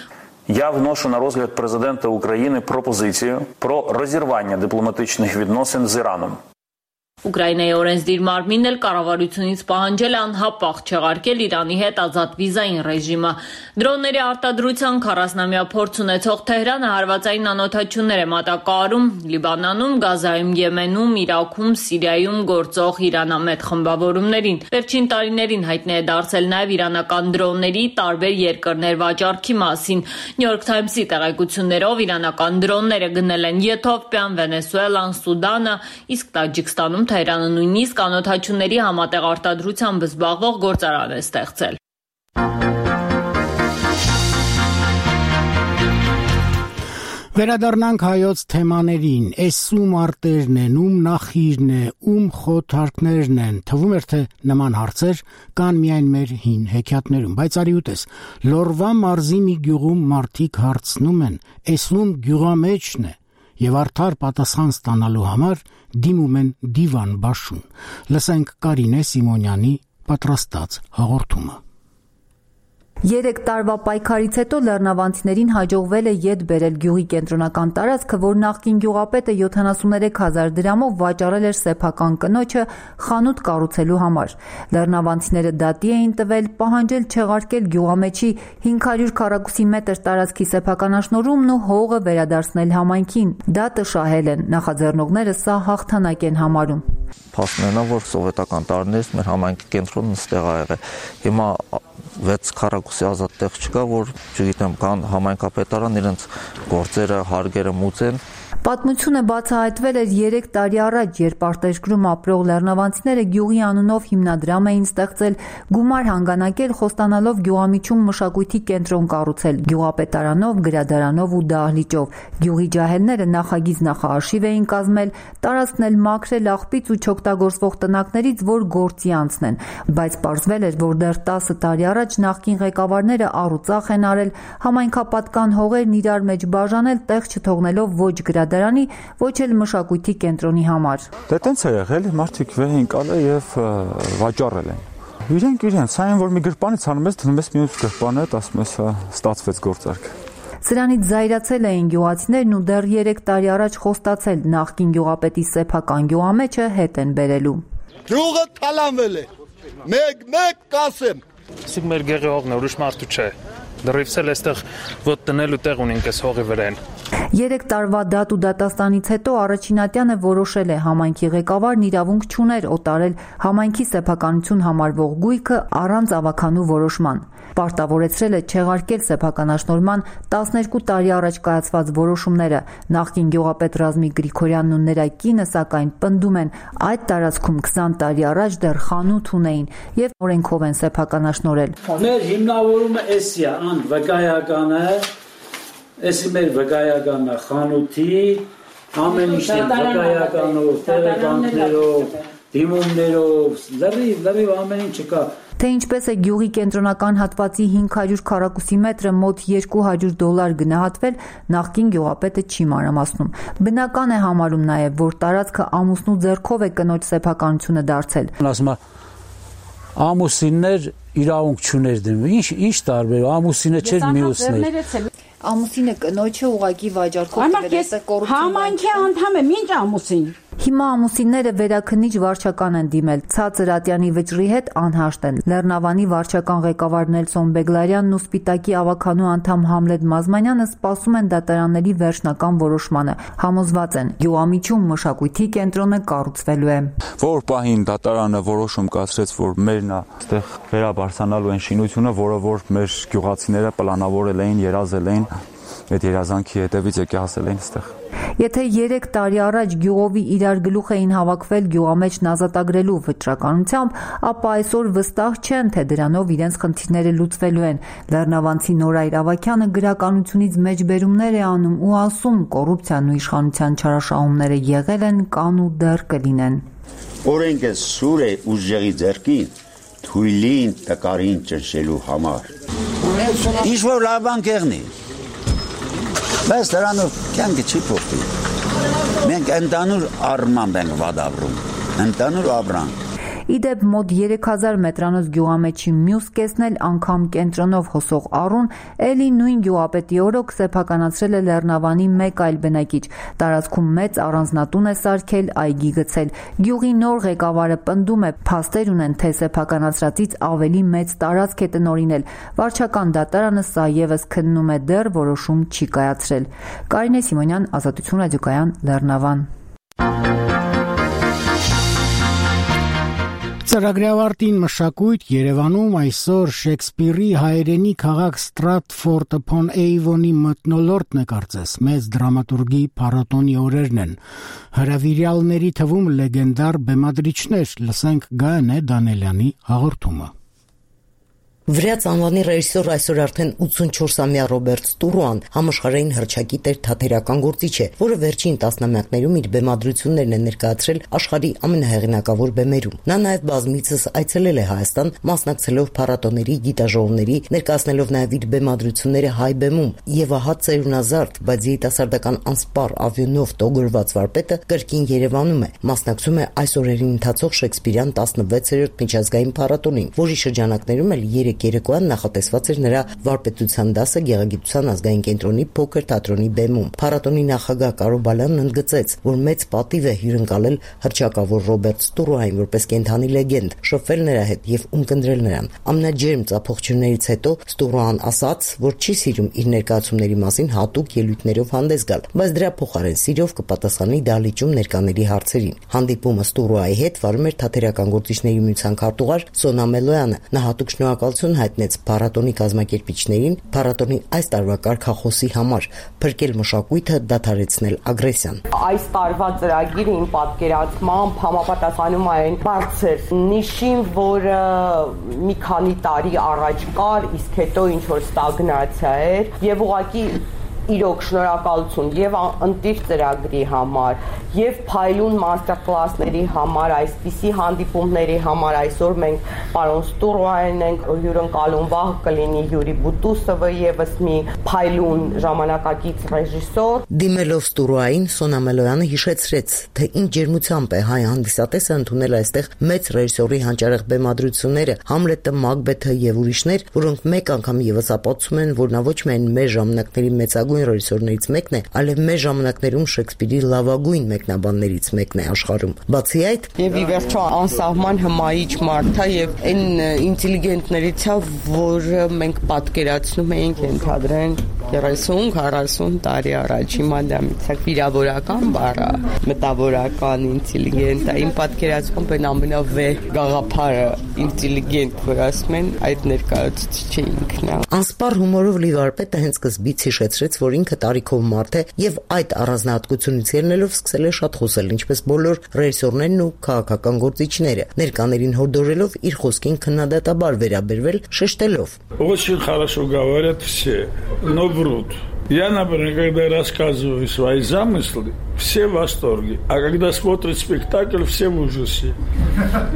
Я вношу на розгляд президента України пропозицію про розірвання дипломатичних відносин з Іраном. Ուկրաինայի օրենսդիր մարմինն էլ կառավարությունից պահանջել անհապաղ չեղարկել Իրանի հետ ազատ վիզային ռեժիմը։ Դրոնների արտադրության 40-ամյա փորձ ունեցող Թեհրանը հարվածային անօթաչություններ է մատակարարում Լիբանանում, Գազայում, Եմենում, Իրաքում, Սիրիայում գործող իրանամետ խմբավորումներին։ Վերջին տարիներին հայտնի է դարձել նաև իրանական դրոնների տարբեր երկրներ վաճառքի մասին։ New York Times-ի տեղեկություններով իրանական դրոնները գնել են Եթովպիան, Վենեսուելան, Սուդանը, իսկ Տաջիկստանում Թեհրանը նույնիսկ անօթաչությունների համատեղ արտադրությամբ զբաղվող գործարան է ստեղծել։ Վերադառնանք հայոց թեմաներին, ում արտերն են, ում նախիրն է, ում խոթարքներն են, թվում էր թե նման հարցեր կան միայն մեր հին հեքիաթներում, բայց արի ուտես, Լորվա մարզի մի գյուղում մարդիկ հարցնում են, ում գյուղամեջն է, եւ արդար պատասխան ստանալու համար դիմում են դիվան բաշուն։ Լսենք Կարինե Սիմոնյանի պատրաստած հաղորդումը։ 3 տարվա պայքարից հետո լեռնավանցիներին հաջողվել է ետ բերել գյուղի կենտրոնական տարածքը, որ նախկին գյուղապետը 73,000 դրամով վաճառել էր սեփական կնոջը խանութ կառուցելու համար։ Լեռնավանցիները դատի էին տվել, պահանջել չեղարկել գյուղամեջի 500 քառակուսի մետր տարածքի սեփականաշնորհումն ու հողը վերադարձնել համայնքին։ Դատը շահել են, նախաձեռնողները սա հաղթանակ են համարում։ Փաստներն են, որ սովետական տարիներից մեր համայնքի կենտրոնն ստեղ ա եղել։ Հիմա 6 քառակուսի ազատ տեղ չկա, որ չգիտեմ, կան համայնքապետարան իրենց գործերը, հարգերը մուծեն։ Պատմությունը բացահայտվել էր 3 տարի առաջ, երբ արտերկրում ապրող լեռնավանցիները գյուղի անունով հիմնադրամ էին ստեղծել, գումար հանգանակել, խոստանալով գյուղամիջում մշակույթի կենտրոն կառուցել, գյուղապետարանով, գրադարանով ու դահլիճով։ Գյուղի ջահելները նախագիծ նախարշիվ էին կազմել, տարածքն էլ մաքրել աղբից ու չօգտագործվող տնակներից, որ գործի անցնեն, բայց պարզվել էր, որ դեռ 10 տարի առաջ նախկին ղեկավարները առուծախ են արել, համայնքապատկան հողերն իրար մեջ բաժանել, տեղ չթողնելով ոչ գրադարանի, ոչ էլ մշակույթի կենտրոնի համար։ Դե տենց է եղել, մարդիկ վեր են կալել եւ վաճառել են։ Իրենք այն որ մի գրպանից անում ես, դնում ես մյուս գրպանը, ասում ես ստացվեց գործարք։ Սրանից զայրացել էին գյուղացիներն ու դեռ 3 տարի առաջ խոստացել նախկին գյուղապետի սեփական գյուղամեջը հետ են բերելու։ Գյուղը թալանվել է։ Մեկ կասեմ։ Իսկ մեր գեղի հողն ուրիշ մարդու չէ։ Դրիվս էլ այստեղ ոտ տնելու տեղ ունենք այս հողի վրան։ 3 տարվա դատ ու դատաստանից հետո Առաջինատյանը որոշել է համայնքի ղեկավարն իրավունք չուներ օտարել համայնքի սեփականություն համարվող գույքը առանց ավականու որոշման։ Պարտավորեցրել է չեղարկել սեփականաշնորհման 12 տարի առաջ կայացված որոշումները։ Նախկին գյուղապետ Ռազմիկ Գրիգորյանն ու նրա կինը սակայն պնդում են, այդ տարածքում 20 տարի առաջ դեռ խանութ ունեին եւ օրենքով են սեփականաշնորհել։ Մեր հիմնավորումը էսի է, ան վկայականը, էսի մեր վկայականը խանութի, ամեն ինչ վկայականով, տեղեկանքներով, դիմումներով, լրիվ ամեն ինչ կա։ Թե ինչպես է գյուղի կենտրոնական հատվածի 500 քառակուսի մետրը մոտ $200 գնահատվել, նախկին գյուղապետը չի մանրամասնում։ Բնական է համարում նաև, որ տարածքը ամուսնու ձեռքով է կնոջ սեփականությունը դարձել։ Ասում ամուսիններ իրավունք չուներ դնում։ Ինչ տարբեր, ամուսինը չէր մյուսներ։ Ամուսինը կնոջը ուղակի վաճառքով տվել է կոռուպցիա։ Համայնքի անդամ եմ, ինչ ամուսին։ Հիմա ամուսինները վերաքննիչ վարչական են դիմել, Ցածր Ատյանի վճռի հետ անհաշտ են։ Լեռնավանի վարչական ղեկավար Նելսոն Բեգլարյանն ու Սպիտակի ավականու անդամ Համլետ Մազմանյանը սպասում են դատարանների վերջնական որոշմանը։ Համոզված են, գյուղամիջում մշակույթի կենտրոնը կառուցվելու է։ Որ պահին դատարանը որոշում կայացրեց, որ մերն է այդտեղ վերաբարձանալու են շինությունը, որը որ մեր գյուղացիները պլանավորել էին, երազել էին, այդ երազանքի հետևից եկե հասել էին այստեղ։ Եթե 3 տարի առաջ գյուղովի իրար գլուխ էին հավաքվել գյուղամեջն ազատագրելու վճռականությամբ, ապա այսօր վստահ չեն, թե դրանով իրենց խնդիրները լուծվելու են։ Լեռնավանցի Նորայր Ավագյանը գրականությունից մեջբերումներ է անում ու ասում, կոռուպցիան ու իշխանության չարաշահումները եղել են, կան ու դեռ կլինեն։ Օրենքը սուր է ուժեղի ձեռքին, թույլին տկարին ճնշելու համար։ Ինչ որ լավ բան կեղնի։ Բայց դրանով կյանքը չի փոխվի։ Մենք ընդանուր առմամբ ենք վադավորում, ընդանուր ապրանք։ Իդեպ մոտ 3000 մետրանոց գյուղամեջի մյուս կեսն էլ անգամ կենտրոնով հոսող առուն էլի նույն գյուղապետի օրոք սեփականացրել է Լեռնավանի մեկ այլ բնակիչ։ Տարածքում մեծ առանձնատուն է սարքել, այգի գցել։ Գյուղի նոր ղեկավարը պնդում է, փաստեր ունեն, թե սեփականացրածից ավելի մեծ տարածք է տնօրինել։ Վարչական դատարանը սա ևս քննում է, դեռ որոշում չի կայացրել։ Կարինե Սիմոնյան, Ազատություն ռադիոկայան, Լեռնավան։ Ծրագրի ավարտին մշակույթ Երևանում այսօր Շեքսպիրի հայերենի քաղաք Ստրատֆորդ upon Avon-ի մթնոլորտն է կարծես, մեծ դրամատուրգի փառատոնի օրերն են։ Հրավիրյալների թվում լեգենդար բեմադրիչներ, լսենք Գայանե Դանելյանի հաղորդումը։ Վրաց անվանի ռեժիսոր այսօր արդեն 84-ամյա Ռոբերտ Ստուրոան համաշխարհային հռչակի տեր թատերական գործիչ է, որը վերջին տասնամյակներում իր բեմադրություններն է ներկայացրել աշխարհի ամենահեղինակավոր բեմերում։ Նա նաև բազմիցս այցելել է Հայաստան, մասնակցելով փառատոների, գիտաժողովների, ներկայացնելով նաև իր բեմադրությունները հայ բեմում, եւ ահա ծերունազարդ, բայց երիտասարդական անսպառ ավյունով տոգորված վարպետը կրկին Երևանում է, մասնակցում է այս օրերին ընթացող Շեքսպիրյան 16-րդ միջազգային փառատոնին, որի շրջանակներում էլ երեկոյան նախատեսված էր նրա վարպետության դասը Գեղագիտության ազգային կենտրոնի փոքր թատրոնի բեմում։ Փառատոնի նախագահ Կարո Բալյանն ընդգծեց, որ մեծ պատիվ է հյուրընկալել հռչակավոր Ռոբերտ Ստուրոային որպես կենդանի լեգենդ, շփվել նրա հետ եւ ունկնդրել նրան։ Ամենաջերմ ծափողջություններից հետո Ստուրոան ասաց, որ չի սիրում իր ներկայացումների մասին հատուկ ելույթներով հանդես գալ, բայց դրա փոխարեն սիրով կպատասխանի դահլիճում ներկաների հարցերին։ Հանդիպումը Ստուրոայի հետ վարում էր թատերական գործիչների միության քարտուղար Սոնա Մելոյանը։ Նա հատուկ շնորհակալություն հայտնեց փառատոնի կազմակերպիչներին փառատոնի այս տարվա կարգախոսի համար՝ փրկել մշակույթը, դադարեցնել ագրեսիան։ Այս տարվա ծրագիրը իմ պատկերացմամբ համապատասխանում է այն բարձր նիշին, որը մի քանի տարի առաջ կար, իսկ հետո ինչ որ ստագնացիա էր, եւ ուղղակի իրոք շնորհակալություն եւ ընտիր ծրագրի համար եւ փայլուն մաստեր կլասների համար, այսպիսի հանդիպումների համար այսօր մենք պարոն Ստուրոյանն ենք հյուրընկալում, վաղ կլինի Յուրի Բուտուսովը եւս մի փայլուն ժամանակակից ռեժիսոր։ Դիմելով Ստուրոային, Սոնա Մելոյանը հիշեցրեց, թե ինչ ջերմությամբ է հայ հանդիսատեսը ընդունել այստեղ մեծ ռեժիսորի հանճարեղ բեմադրությունները, Համլետը, Մակբեթը եւ ուրիշներ, որոնք մեկ անգամ եւս ապացուցում են, որ նա ոչ միայն մեր ժամանակների մեծագույն ռեժիսորներից մեկն է, այլև մեր ժամանակներում Շեքսպիրի լավագույն մեկնաբաններից մեկն է աշխարհում։ Բացի այդ, եւ ի վերջո անսահման հմայիչ մարդ է եւ այն ինտելիգենտներից է, որը մենք պատկերացնում էինք ընդհանրեն 30-40 տարի առաջ։ Հիմա դա միցակ վիրավորական բառը, մտավորական ինտելիգենտ է։ Իմ պատկերացմամբ այն ամենավեհ գաղափարը ինտելիգենտ, որ ասում են, այդ ներկայացուցիչը ինքն է։ Անսպառ հումորով լի վարպետը հենց սկզբից հիշեցրեց, որ ինքը տարիքով մարդ է եւ այդ առանձնահատկությունից ելնելով սկսել է շատ խոսել, ինչպես բոլոր ռեժիսորներն ու քաղաքական գործիչները, ներկաներին հորդորելով իր խոսքին քննադատաբար վերաբերվել, շեշտելով. Очень хорошо говорят все, но врут. Я, например, когда рассказываю свои замыслы, все в восторге, а когда смотрят спектакль, все в ужасе.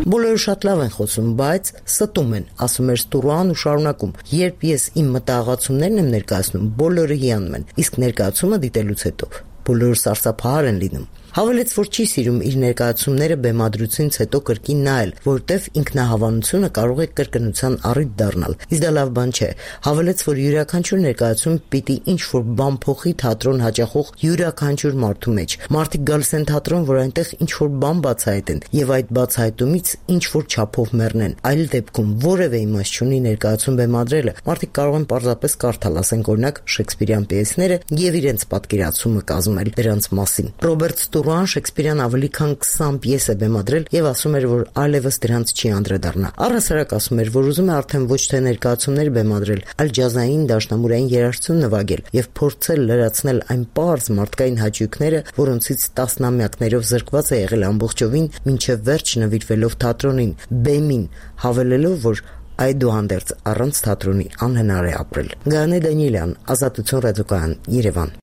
Բոլորը շատ լավ են խոսում, բայց ստում են, ասում էր Ստուրոան ու շարունակում. երբ ես իմ մտահղացումներն եմ ներկայացնում, բոլորը հիանում են, իսկ ներկայացումը դիտելուց հետո բոլորը սարսափահար են լինում։ Հավելեց, որ չի սիրում իր ներկայացումները բեմադրությունից հետո կրկին նայել, որտեվ ինքնահավանությունը կարող է կրկնության առիթ դառնալ։ Իսկ դա լավ բան չէ։ Հավելեց, որ յուրաքանչյուր ներկայացում պիտի ինչ-որ բան փոխի թատրոն հաճախող յուրաքանչյուր մարդու մեջ։ Մարդիկ գալիս են թատրոն, որ այնտեղ ինչ-որ բան բացահայտեն, եւ այդ բացահայտումից ինչ-որ չափով մեռնեն։ Այլ դեպքում որևէ իմաստ չունի ներկայացում բեմադրելը։ Մարդիկ կարող են պարզապես կարդալ, ասենք օրինակ Շեքսպիրյան պիեսները եւ իրենց պատկերացումը կազմել դրանց մասին։ Ռոբերտ Ստուրոան Շեքսպիրյան ավելի քան 20 պիես է բեմադրել եւ ասում էր, որ այլևս դրանց չի անդրադառնա։ Առհասարակ ասում էր, որ ուզում է արդեն ոչ թե ներկայացումներ բեմադրել, այլ ջազային դաշնամուրային երաժշտություն նվագել եւ փորձել լրացնել այն պարզ մարդկային հաճույքները, որոնցից տասնամյակներով զրկված է եղել ամբողջովին, մինչեւ վերջ նվիրվելով թատրոնին, բեմին, հավելելով, որ այդուհանդերձ առանց թատրոնի անհնար է ապրել։ Գայանե Դանիելյան, Ազատություն ռադիոկայան, Երևան։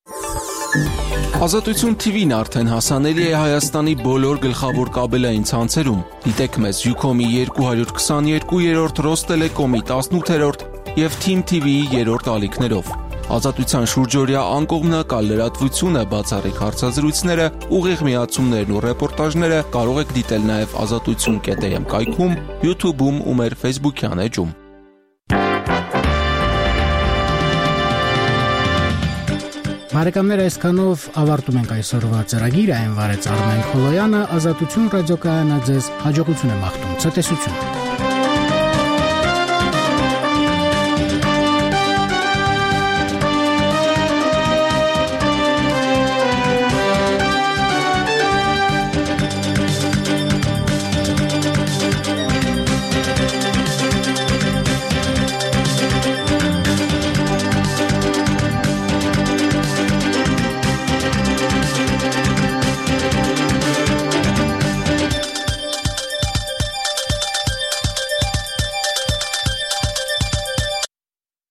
Ազատություն TV-ն արդեն հասանելի է Հայաստանի բոլոր գլխավոր կաբելային ցանցերում։ Դիտեք մեզ Ucom-ի 222-րդ, Rosttelecom-ի 18-րդ եւ Team TV-ի 3-րդ ալիքներով։ Ազատության շուրջօրյա անկողմնակալ լրատվությունը, բացառիկ հարցազրույցները, ուղիղ միացումներն ու ռեպորտաժները կարող եք դիտել նաև azatutsun.am կայքում, YouTube-ում ու մեր Facebook-յան էջում։ Բարեկամներ, այսքանով ավարտում ենք այսօրվա ծրագիրը, այն վարեց Արմեն Քոլոյանը, Ազատություն ռադիոկայանը ձեզ հաջողություն է մաղթում, ցտեսություն։